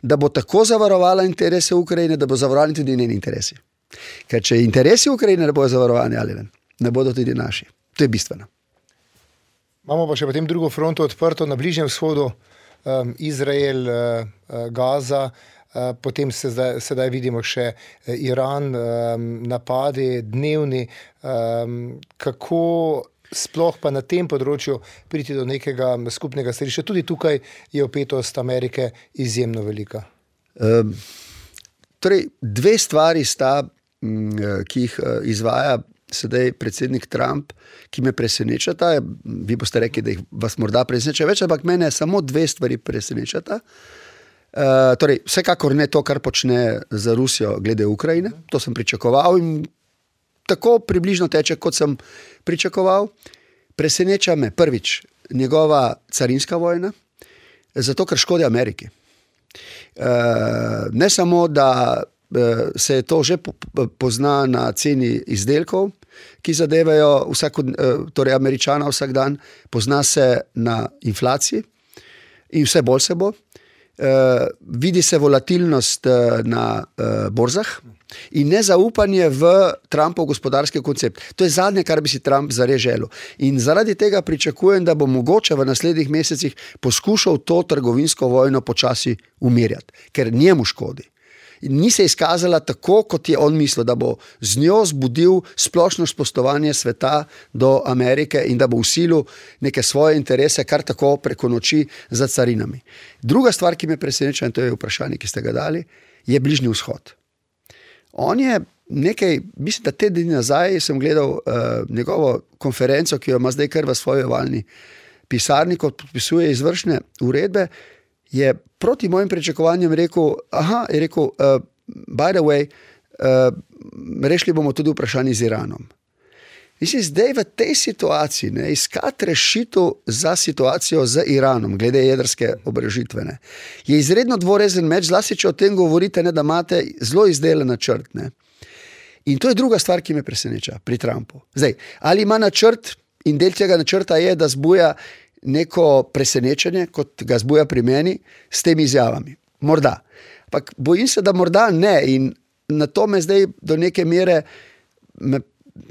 da bo tako zavarovala interese Ukrajine, da bo zavarovali tudi njeni interesi. Ker če interesi Ukrajine ne bodo zavarovani, ali ne, ne bodo tudi naši. To je bistveno. Imamo pa še potem drugo fronto odprto na Bližnjem vzhodu, um, Izrael, uh, Gaza, uh, potem se zdaj, sedaj vidimo še Iran, um, napadi dnevni. Um, kako sploh pa na tem področju priti do nekega skupnega stališča? Tudi tukaj je vpetost Amerike izjemno velika. Um, torej, dve stvari sta, ki jih izvaja sedaj predsednik Trump, ki me presenečata. Vi boste rekli, da jih vas morda preseneča več, ampak mene samo dve stvari presenečata. Uh, torej, vsekakor ne to, kar počne za Rusijo glede Ukrajine. To sem pričakoval in tako približno teče, kot sem pričakoval. Preseneča me prvič njegova carinska vojna, zato ker škodi Ameriki. Uh, ne samo, da se to že pozna na ceni izdelkov, ki zadevajo vsako, torej Američana vsak dan, pozna se na inflaciji in vse bolj se bo. Uh, vidi se volatilnost uh, na uh, borzah in nezaupanje v Trumpov gospodarski koncept. To je zadnje, kar bi si Trump zares želel. In zaradi tega pričakujem, da bo mogoče v naslednjih mesecih poskušal to trgovinsko vojno počasi umirjati, ker njemu škodi. Ni se izkazala tako, kot je on mislil, da bo z njo zbudil splošno spoštovanje sveta do Amerike in da bo vsilil neke svoje interese kar tako preko noči za carinami. Druga stvar, ki me preseneča, in to je vprašanje, ki ste ga dali, je Bližnji vzhod. On je nekaj, mislim, da te dni nazaj sem gledal uh, njegovo konferenco, ki jo ima zdaj kar v svoji ovalni pisarni, kot podpisuje izvršne uredbe, je proti mojim pričakovanjem rekel, aha, je rekel, uh, by the way, uh, rešili bomo tudi vprašanje z Iranom. Mislim, zdaj v tej situaciji, ne, iskati rešitev za situacijo z Iranom, glede jedrske oborožitve, ne, je izredno dvorezen meč, zlasti če o tem govorite, ne, da imate zelo izdelan načrt. Ne. In to je druga stvar, ki me preseneča pri Trumpu. Zdaj, ali ima načrt in del tega načrta je, da zbuja neko presenečenje, kot ga zbuja pri meni, s temi izjavami. Morda. Ampak bojim se, da morda ne. In na to me zdaj do neke mere me,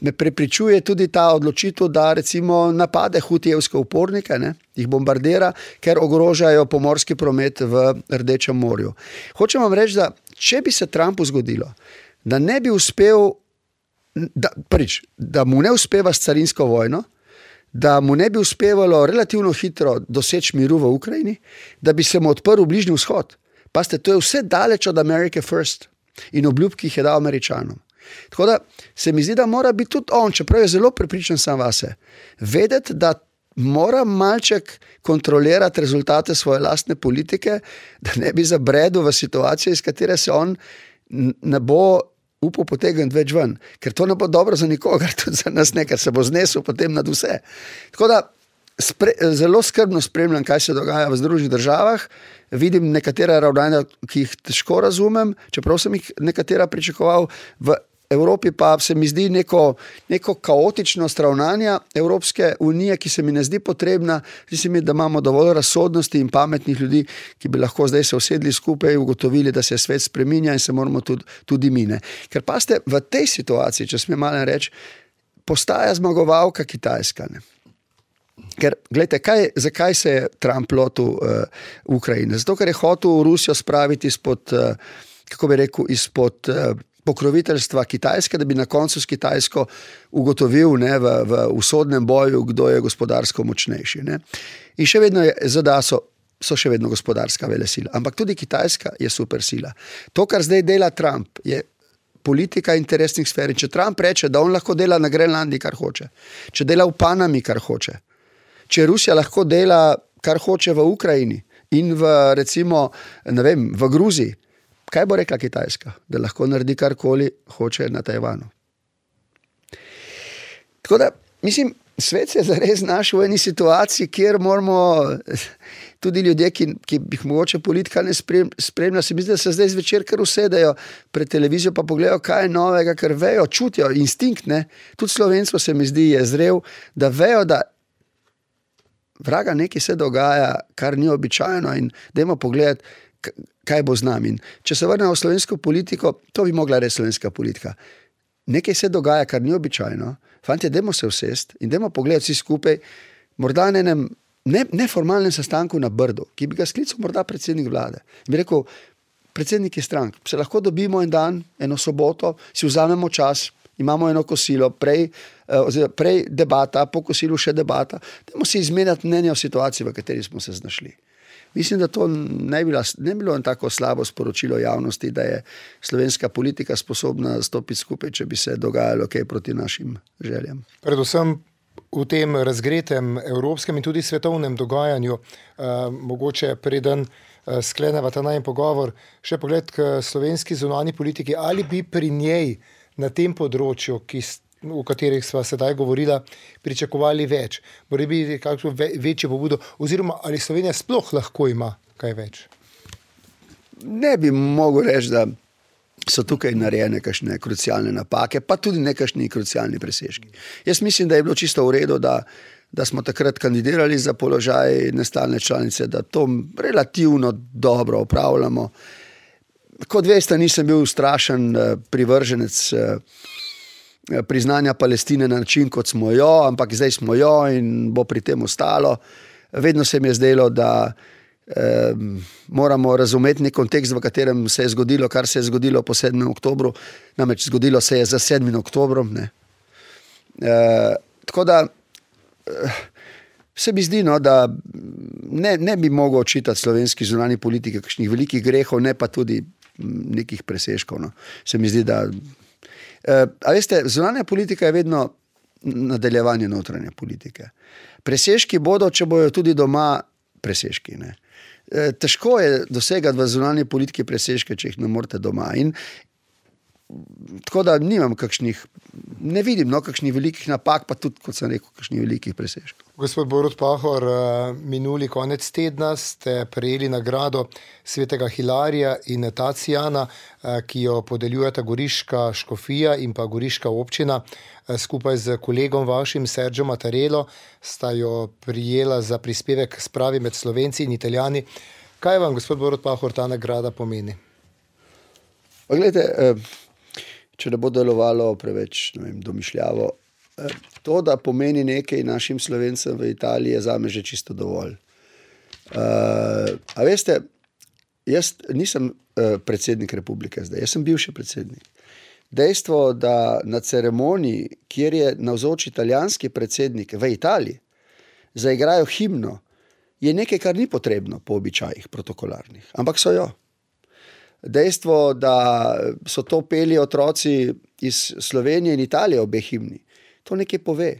me prepričuje tudi ta odločitev, da recimo napade hutijevske upornike, ne, jih bombardira, ker ogrožajo pomorski promet v Rdečem morju. Hočem vam reči, da če bi se Trumpu zgodilo, da ne bi uspel, da, prvič, da mu ne uspeva s carinsko vojno, da mu ne bi uspevalo relativno hitro doseči miru v Ukrajini, da bi se mu odprl Bližnji vzhod. Pazite, to je vse daleč od America First in obljub, ki jih je dal Američanom. Tako da se mi zdi, da mora biti tudi on, čeprav je zelo prepričan sam vase, vedeti, da mora malček kontrolirati rezultate svoje lastne politike, da ne bi zabredel v situacijo, iz katere se on ne bo upal potegniti več ven, ker to ne bo dobro za nikogar, tudi za nas ne, ker se bo znesel potem nad vse. Tako da spre, zelo skrbno spremljam, kaj se dogaja v Združenih državah, vidim nekatera ravnanja, ki jih težko razumem, čeprav sem jih nekatera pričakoval, v Evropi pa se mi zdi neko, neko kaotičnost ravnanja Evropske unije, ki se mi ne zdi potrebna. Zdi se mi, da imamo dovolj razsodnosti in pametnih ljudi, ki bi lahko zdaj se usedli skupaj in ugotovili, da se svet spreminja in se moramo tudi, tudi mine. Ker pa ste v tej situaciji, če smem malo reči, postaja zmagovalka Kitajska. Ne? Ker, gledajte, kaj, zakaj se je Trump lotil uh, Ukrajine? Zato, ker je hotel Rusijo spraviti izpod, uh, kako bi rekel, izpod uh, pokroviteljstva Kitajske, da bi na koncu s Kitajsko ugotovil, ne, v, v usodnem boju, kdo je gospodarsko močnejši. Ne. In še vedno je, Z D A so, so še vedno gospodarska velesila, ampak tudi Kitajska je supersila. To, kar zdaj dela Trump, je politika interesnih sfer. Če Trump reče, da on lahko dela na Grenlandiji, kar hoče, če dela v Panami, kar hoče, če Rusija lahko dela, kar hoče v Ukrajini in v, recimo, ne vem, v Gruziji, kaj bo rekla Kitajska? Da lahko naredi karkoli hoče na Tajvanu. Tako da, mislim, svet se je zares našel v eni situaciji, kjer moramo tudi ljudje, ki, ki bi mogoče politika ne spremlja, se mi zdi, da se zdaj zvečer kar usedejo pred televizijo, pa pogledajo, kaj je novega, ker vejo, čutijo, instinkt, ne, tudi slovenstvo se mi zdi je zrel, da vejo, da vraga nekaj se dogaja, kar ni običajno in dajmo pogledati, kaj bo z nami. In če se vrnemo v slovensko politiko, to bi mogla reči slovenska politika. Nekaj se dogaja, kar ni običajno. Fantje, dajmo se usest in dajmo pogledati vsi skupaj, morda na enem ne, neformalnem sestanku na Brdu, ki bi ga sklical morda predsednik vlade. In bi rekel, predsedniki strank, se lahko dobimo en dan, eno soboto, si vzamemo čas, imamo eno kosilo, prej, oziroma prej debata, po kosilu še debata, dajmo si izmenjati mnenje o situaciji, v kateri smo se znašli. Mislim, da to ne bi, bila, ne bi bilo en tako slabo sporočilo javnosti, da je slovenska politika sposobna stopiti skupaj, če bi se dogajalo kaj proti našim željam. Predvsem v tem razgretem evropskem in tudi svetovnem dogajanju, eh, mogoče preden eh, skleneva ta najin pogovor, še pogled k slovenski zunanji politiki, ali bi pri njej na tem področju, ki o katerih sva sedaj govorila, pričakovali več. Mora biti kakšno ve, večjo pobudo, oziroma ali Slovenija sploh lahko ima kaj več? Ne bi mogel reči, da so tukaj narejene kakšne krucialne napake, pa tudi nekakšni krucialni presežki. Jaz mislim, da je bilo čisto v redu, da, da smo takrat kandidirali za položaj nestalne članice, da to relativno dobro opravljamo. Kot veste, nisem bil strašen privrženec priznanja Palestine na način, kot smo jo, ampak zdaj smo jo in bo pri tem ostalo. Vedno se mi je zdelo, da eh, moramo razumeti nek kontekst, v katerem se je zgodilo, kar se je zgodilo po sedmem oktobru, namreč zgodilo se je za sedmim oktobrom. Ne. Eh, tako da eh, se mi zdi, no, da ne, ne bi mogel očitati slovenski zunanji politiki kakšnih velikih grehov, ne pa tudi nekih presežkov. No. Se mi zdi, da a veste, zunanja politika je vedno nadaljevanje notranje politike. Presežki bodo, če bojo tudi doma presežki. Ne. Težko je dosegati v zunanji politiki presežke, če jih ne morete doma. In tako da nimam kakšnih, ne vidim no, kakšnih velikih napak, pa tudi, kot sem rekel, kakšnih velikih presežkov. Gospod Borut Pahor, minuli konec tedna ste prejeli nagrado svetega Hilarija in Tacijana, ki jo podeljujeta Goriška škofija in pa Goriška občina. Skupaj z kolegom vašim, Sergio Mattarello, sta jo prijela za prispevek k spravi med Slovenci in Italijani. Kaj vam, gospod Borut Pahor, ta nagrada pomeni? Pa gledajte, če ne bo delovalo preveč, ne vem, domišljavo, to, da pomeni nekaj našim Slovencem v Italiji, je zame že čisto dovolj. Uh, a veste, jaz nisem uh, predsednik republike zdaj, jaz sem bivši predsednik. Dejstvo, da na ceremoniji, kjer je navzoč italijanski predsednik v Italiji, zaigrajo himno, je nekaj, kar ni potrebno po običajih protokolarnih, ampak so jo. Dejstvo, da so to peli otroci iz Slovenije in Italije obe himni, to nekaj pove.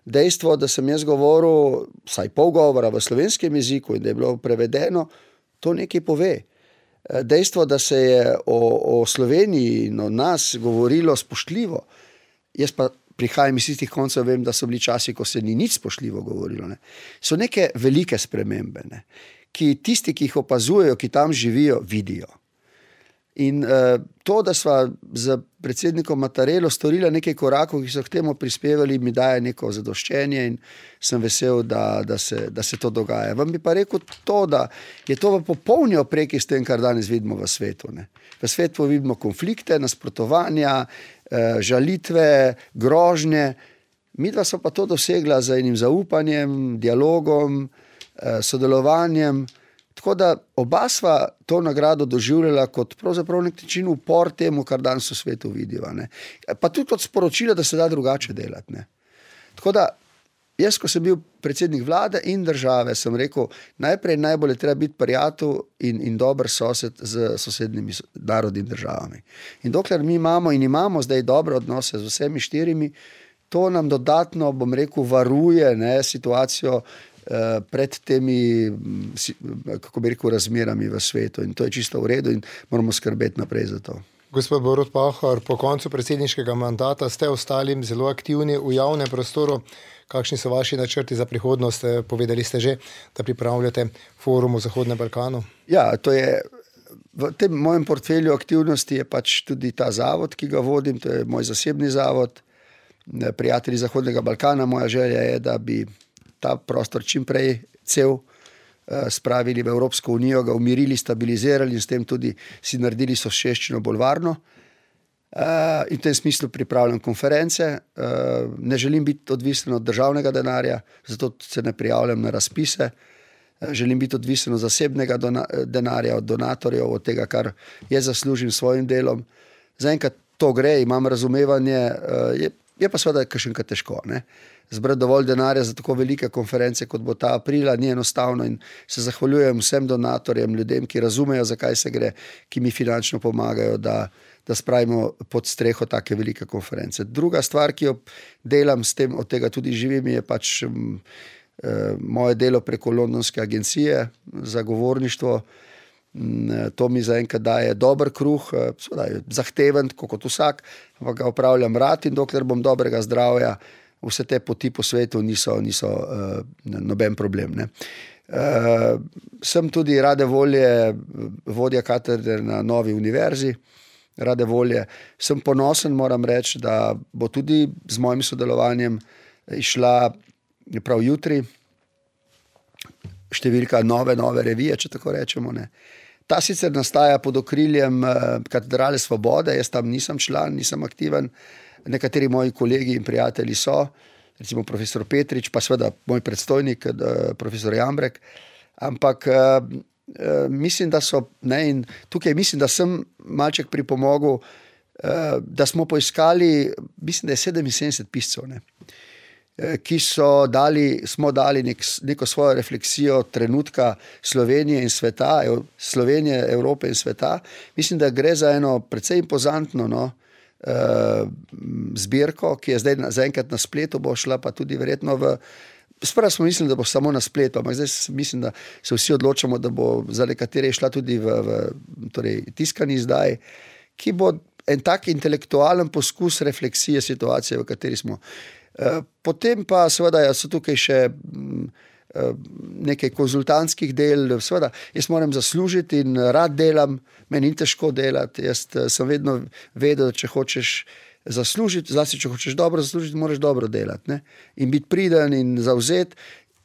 Dejstvo, da sem jaz govoril vsaj pol govora v slovenskem jeziku in da je bilo prevedeno, to nekaj pove. Dejstvo, da se je o, o Sloveniji in o nas govorilo spoštljivo, jaz pa prihajam iz tistih koncev, vem, da so bili časi, ko se ni nič spoštljivo govorilo. Ne. So neke velike spremembe, ne, ki tisti, ki jih opazujejo, ki tam živijo, vidijo. In uh, to, da sva z predsednikom Mattarello storila nekaj korakov, ki so k temu prispevali, mi daje neko zadoščenje in sem vesel, da, da, se, da se to dogaja. Vam bi pa rekel to, da je to v popolni opreki s tem, kar danes vidimo v svetu. Ne. V svetu vidimo konflikte, nasprotovanja, uh, žalitve, grožnje. Midva so pa to dosegla z enim zaupanjem, dialogom, uh, sodelovanjem. Tako da oba sva to nagrado doživljala kot pravzaprav nek način upor temu, kar danes v svetu vidiva. Ne. Pa tudi kot sporočilo, da se da drugače delati. Ne. Tako da jaz, ko sem bil predsednik vlade in države, sem rekel, najprej najbolj je treba biti prijatelj in, in dober sosed z sosednjimi narodi in državami. In dokler mi imamo in imamo zdaj dobre odnose z vsemi štirimi, to nam dodatno, bom rekel, varuje, ne, situacijo pred temi, kako bi rekel, razmerami v svetu. In to je čisto v redu in moramo skrbeti naprej za to. Gospod Borut Pahor, po koncu predsedniškega mandata ste ostalim zelo aktivni v javnem prostoru. Kakšni so vaši načrti za prihodnost? Povedali ste že, da pripravljate forum v Zahodnem Balkanu. Ja, to je, v tem mojem portfelju aktivnosti je pač tudi ta zavod, ki ga vodim, to je moj zasebni zavod, Prijatelji Zahodnega Balkana. Moja želja je, da bi ta prostor čim prej cel spravili v Evropsko unijo, ga umirili, stabilizirali in s tem tudi si naredili soseščino bolj varno. In v tem smislu pripravljam konference. Ne želim biti odvisen od državnega denarja, zato se ne prijavljam na razpise. Želim biti odvisen od zasebnega denarja, od donatorjev, od tega, kar jaz zaslužim s svojim delom. Zaenkrat to gre, imam razumevanje, je, je pa seveda kakšenkrat težko, ne? Zbrati dovolj denarja za tako velike konference, kot bo ta aprila, ni enostavno in se zahvaljujem vsem donatorjem, ljudem, ki razumejo, zakaj se gre, ki mi finančno pomagajo, da, da spravimo pod streho take velike konference. Druga stvar, ki jo delam s tem, od tega tudi živim, je pač um, moje delo preko Londonske agencije za govorništvo. To mi zaenkrat daje dober kruh, zahteven, kot vsak, ampak ga opravljam rad in dokler bom dobrega zdravja, vse te poti po svetu niso, niso uh, noben problem. Ne. Uh, sem tudi rade volje vodja katedre na novi univerzi, rade volje. Sem ponosen, moram reči, da bo tudi z mojim sodelovanjem išla prav jutri številka nove, nove revije, če tako rečemo. Ne. Ta sicer nastaja pod okriljem Katedrale Svobode, jaz tam nisem član, nisem aktiven, nekateri moji kolegi in prijatelji so, recimo profesor Petrič, pa seveda moj predstojnik, profesor Jambrek, ampak mislim, da so, ne, in tukaj mislim, da sem malček pripomogel, da smo poiskali, mislim, da je sedeminsedemdeset piscev, ne, ki so dali, smo dali nek, neko svojo refleksijo trenutka Slovenije in sveta, Slovenije, Evrope in sveta. Mislim, da gre za eno precej impozantno, no, zbirko, ki je zdaj zaenkrat na spletu, bo šla pa tudi verjetno v, sprva smo mislili, da bo samo na spletu, ampak zdaj mislim, da se vsi odločamo, da bo za nekatere šla tudi v, v torej, tiskani izdaj, ki bo en tak intelektualen poskus refleksije situacije, v kateri smo. Potem pa seveda so tukaj še nekaj konzultantskih del, seveda jaz moram zaslužiti in rad delam, meni ni težko delati, jaz sem vedno vedel, da če hočeš zaslužiti, zlasti če hočeš dobro zaslužiti, moraš dobro delati, ne? In biti priden in zavzet,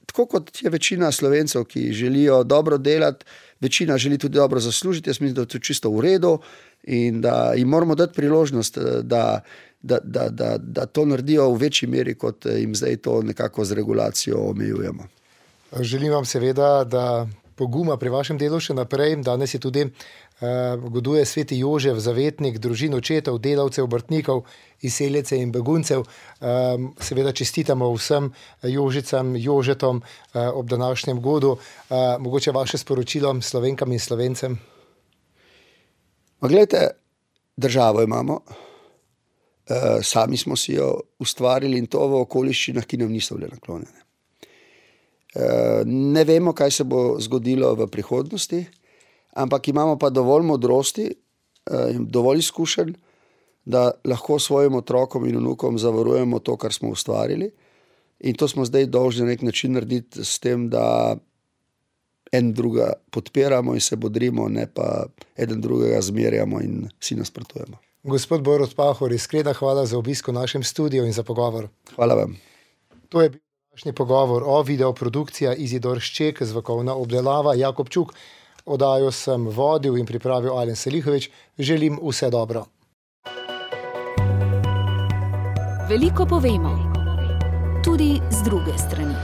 tako kot je večina Slovencev, ki želijo dobro delati, večina želi tudi dobro zaslužiti, jaz mislim, da je to čisto v redu in da jim moramo dati priložnost, da Da, da, da, da to naredijo v večji meri, kot jim zdaj to nekako z regulacijo omejujemo. Želim vam seveda, da poguma pri vašem delu še naprej. Danes je tudi uh, goduje sveti Jožef, zavetnik družin očetov, delavcev, obrtnikov, izseljece in beguncev. Um, seveda čestitamo vsem Jožicam, Jožetom uh, ob današnjem godu. Uh, mogoče vaše sporočilo Slovenkam in Slovencem? Ma gledajte, državo imamo. Uh, sami smo si jo ustvarili in to v okoliščinah, ki nam niso bile naklonjene. Uh, ne vemo, kaj se bo zgodilo v prihodnosti, ampak imamo pa dovolj modrosti uh, in dovolj izkušenj, da lahko svojim otrokom in vnukom zavarujemo to, kar smo ustvarili, in to smo zdaj dolžni na nek način narediti s tem, da en druga podpiramo in se bodrimo, ne pa eden drugega zmerjamo in si nasprotujemo. Gospod Borut Pahor, iskrena hvala za obisk v našem studiu in za pogovor. Hvala vam. To je bil današnji pogovor o videoprodukcija Izidor Šček, zvokovna obdelava Jakob Čuk. Oddajo sem vodil in pripravil Alen Selihovič. Želim vse dobro. Veliko povemo, tudi z druge strani.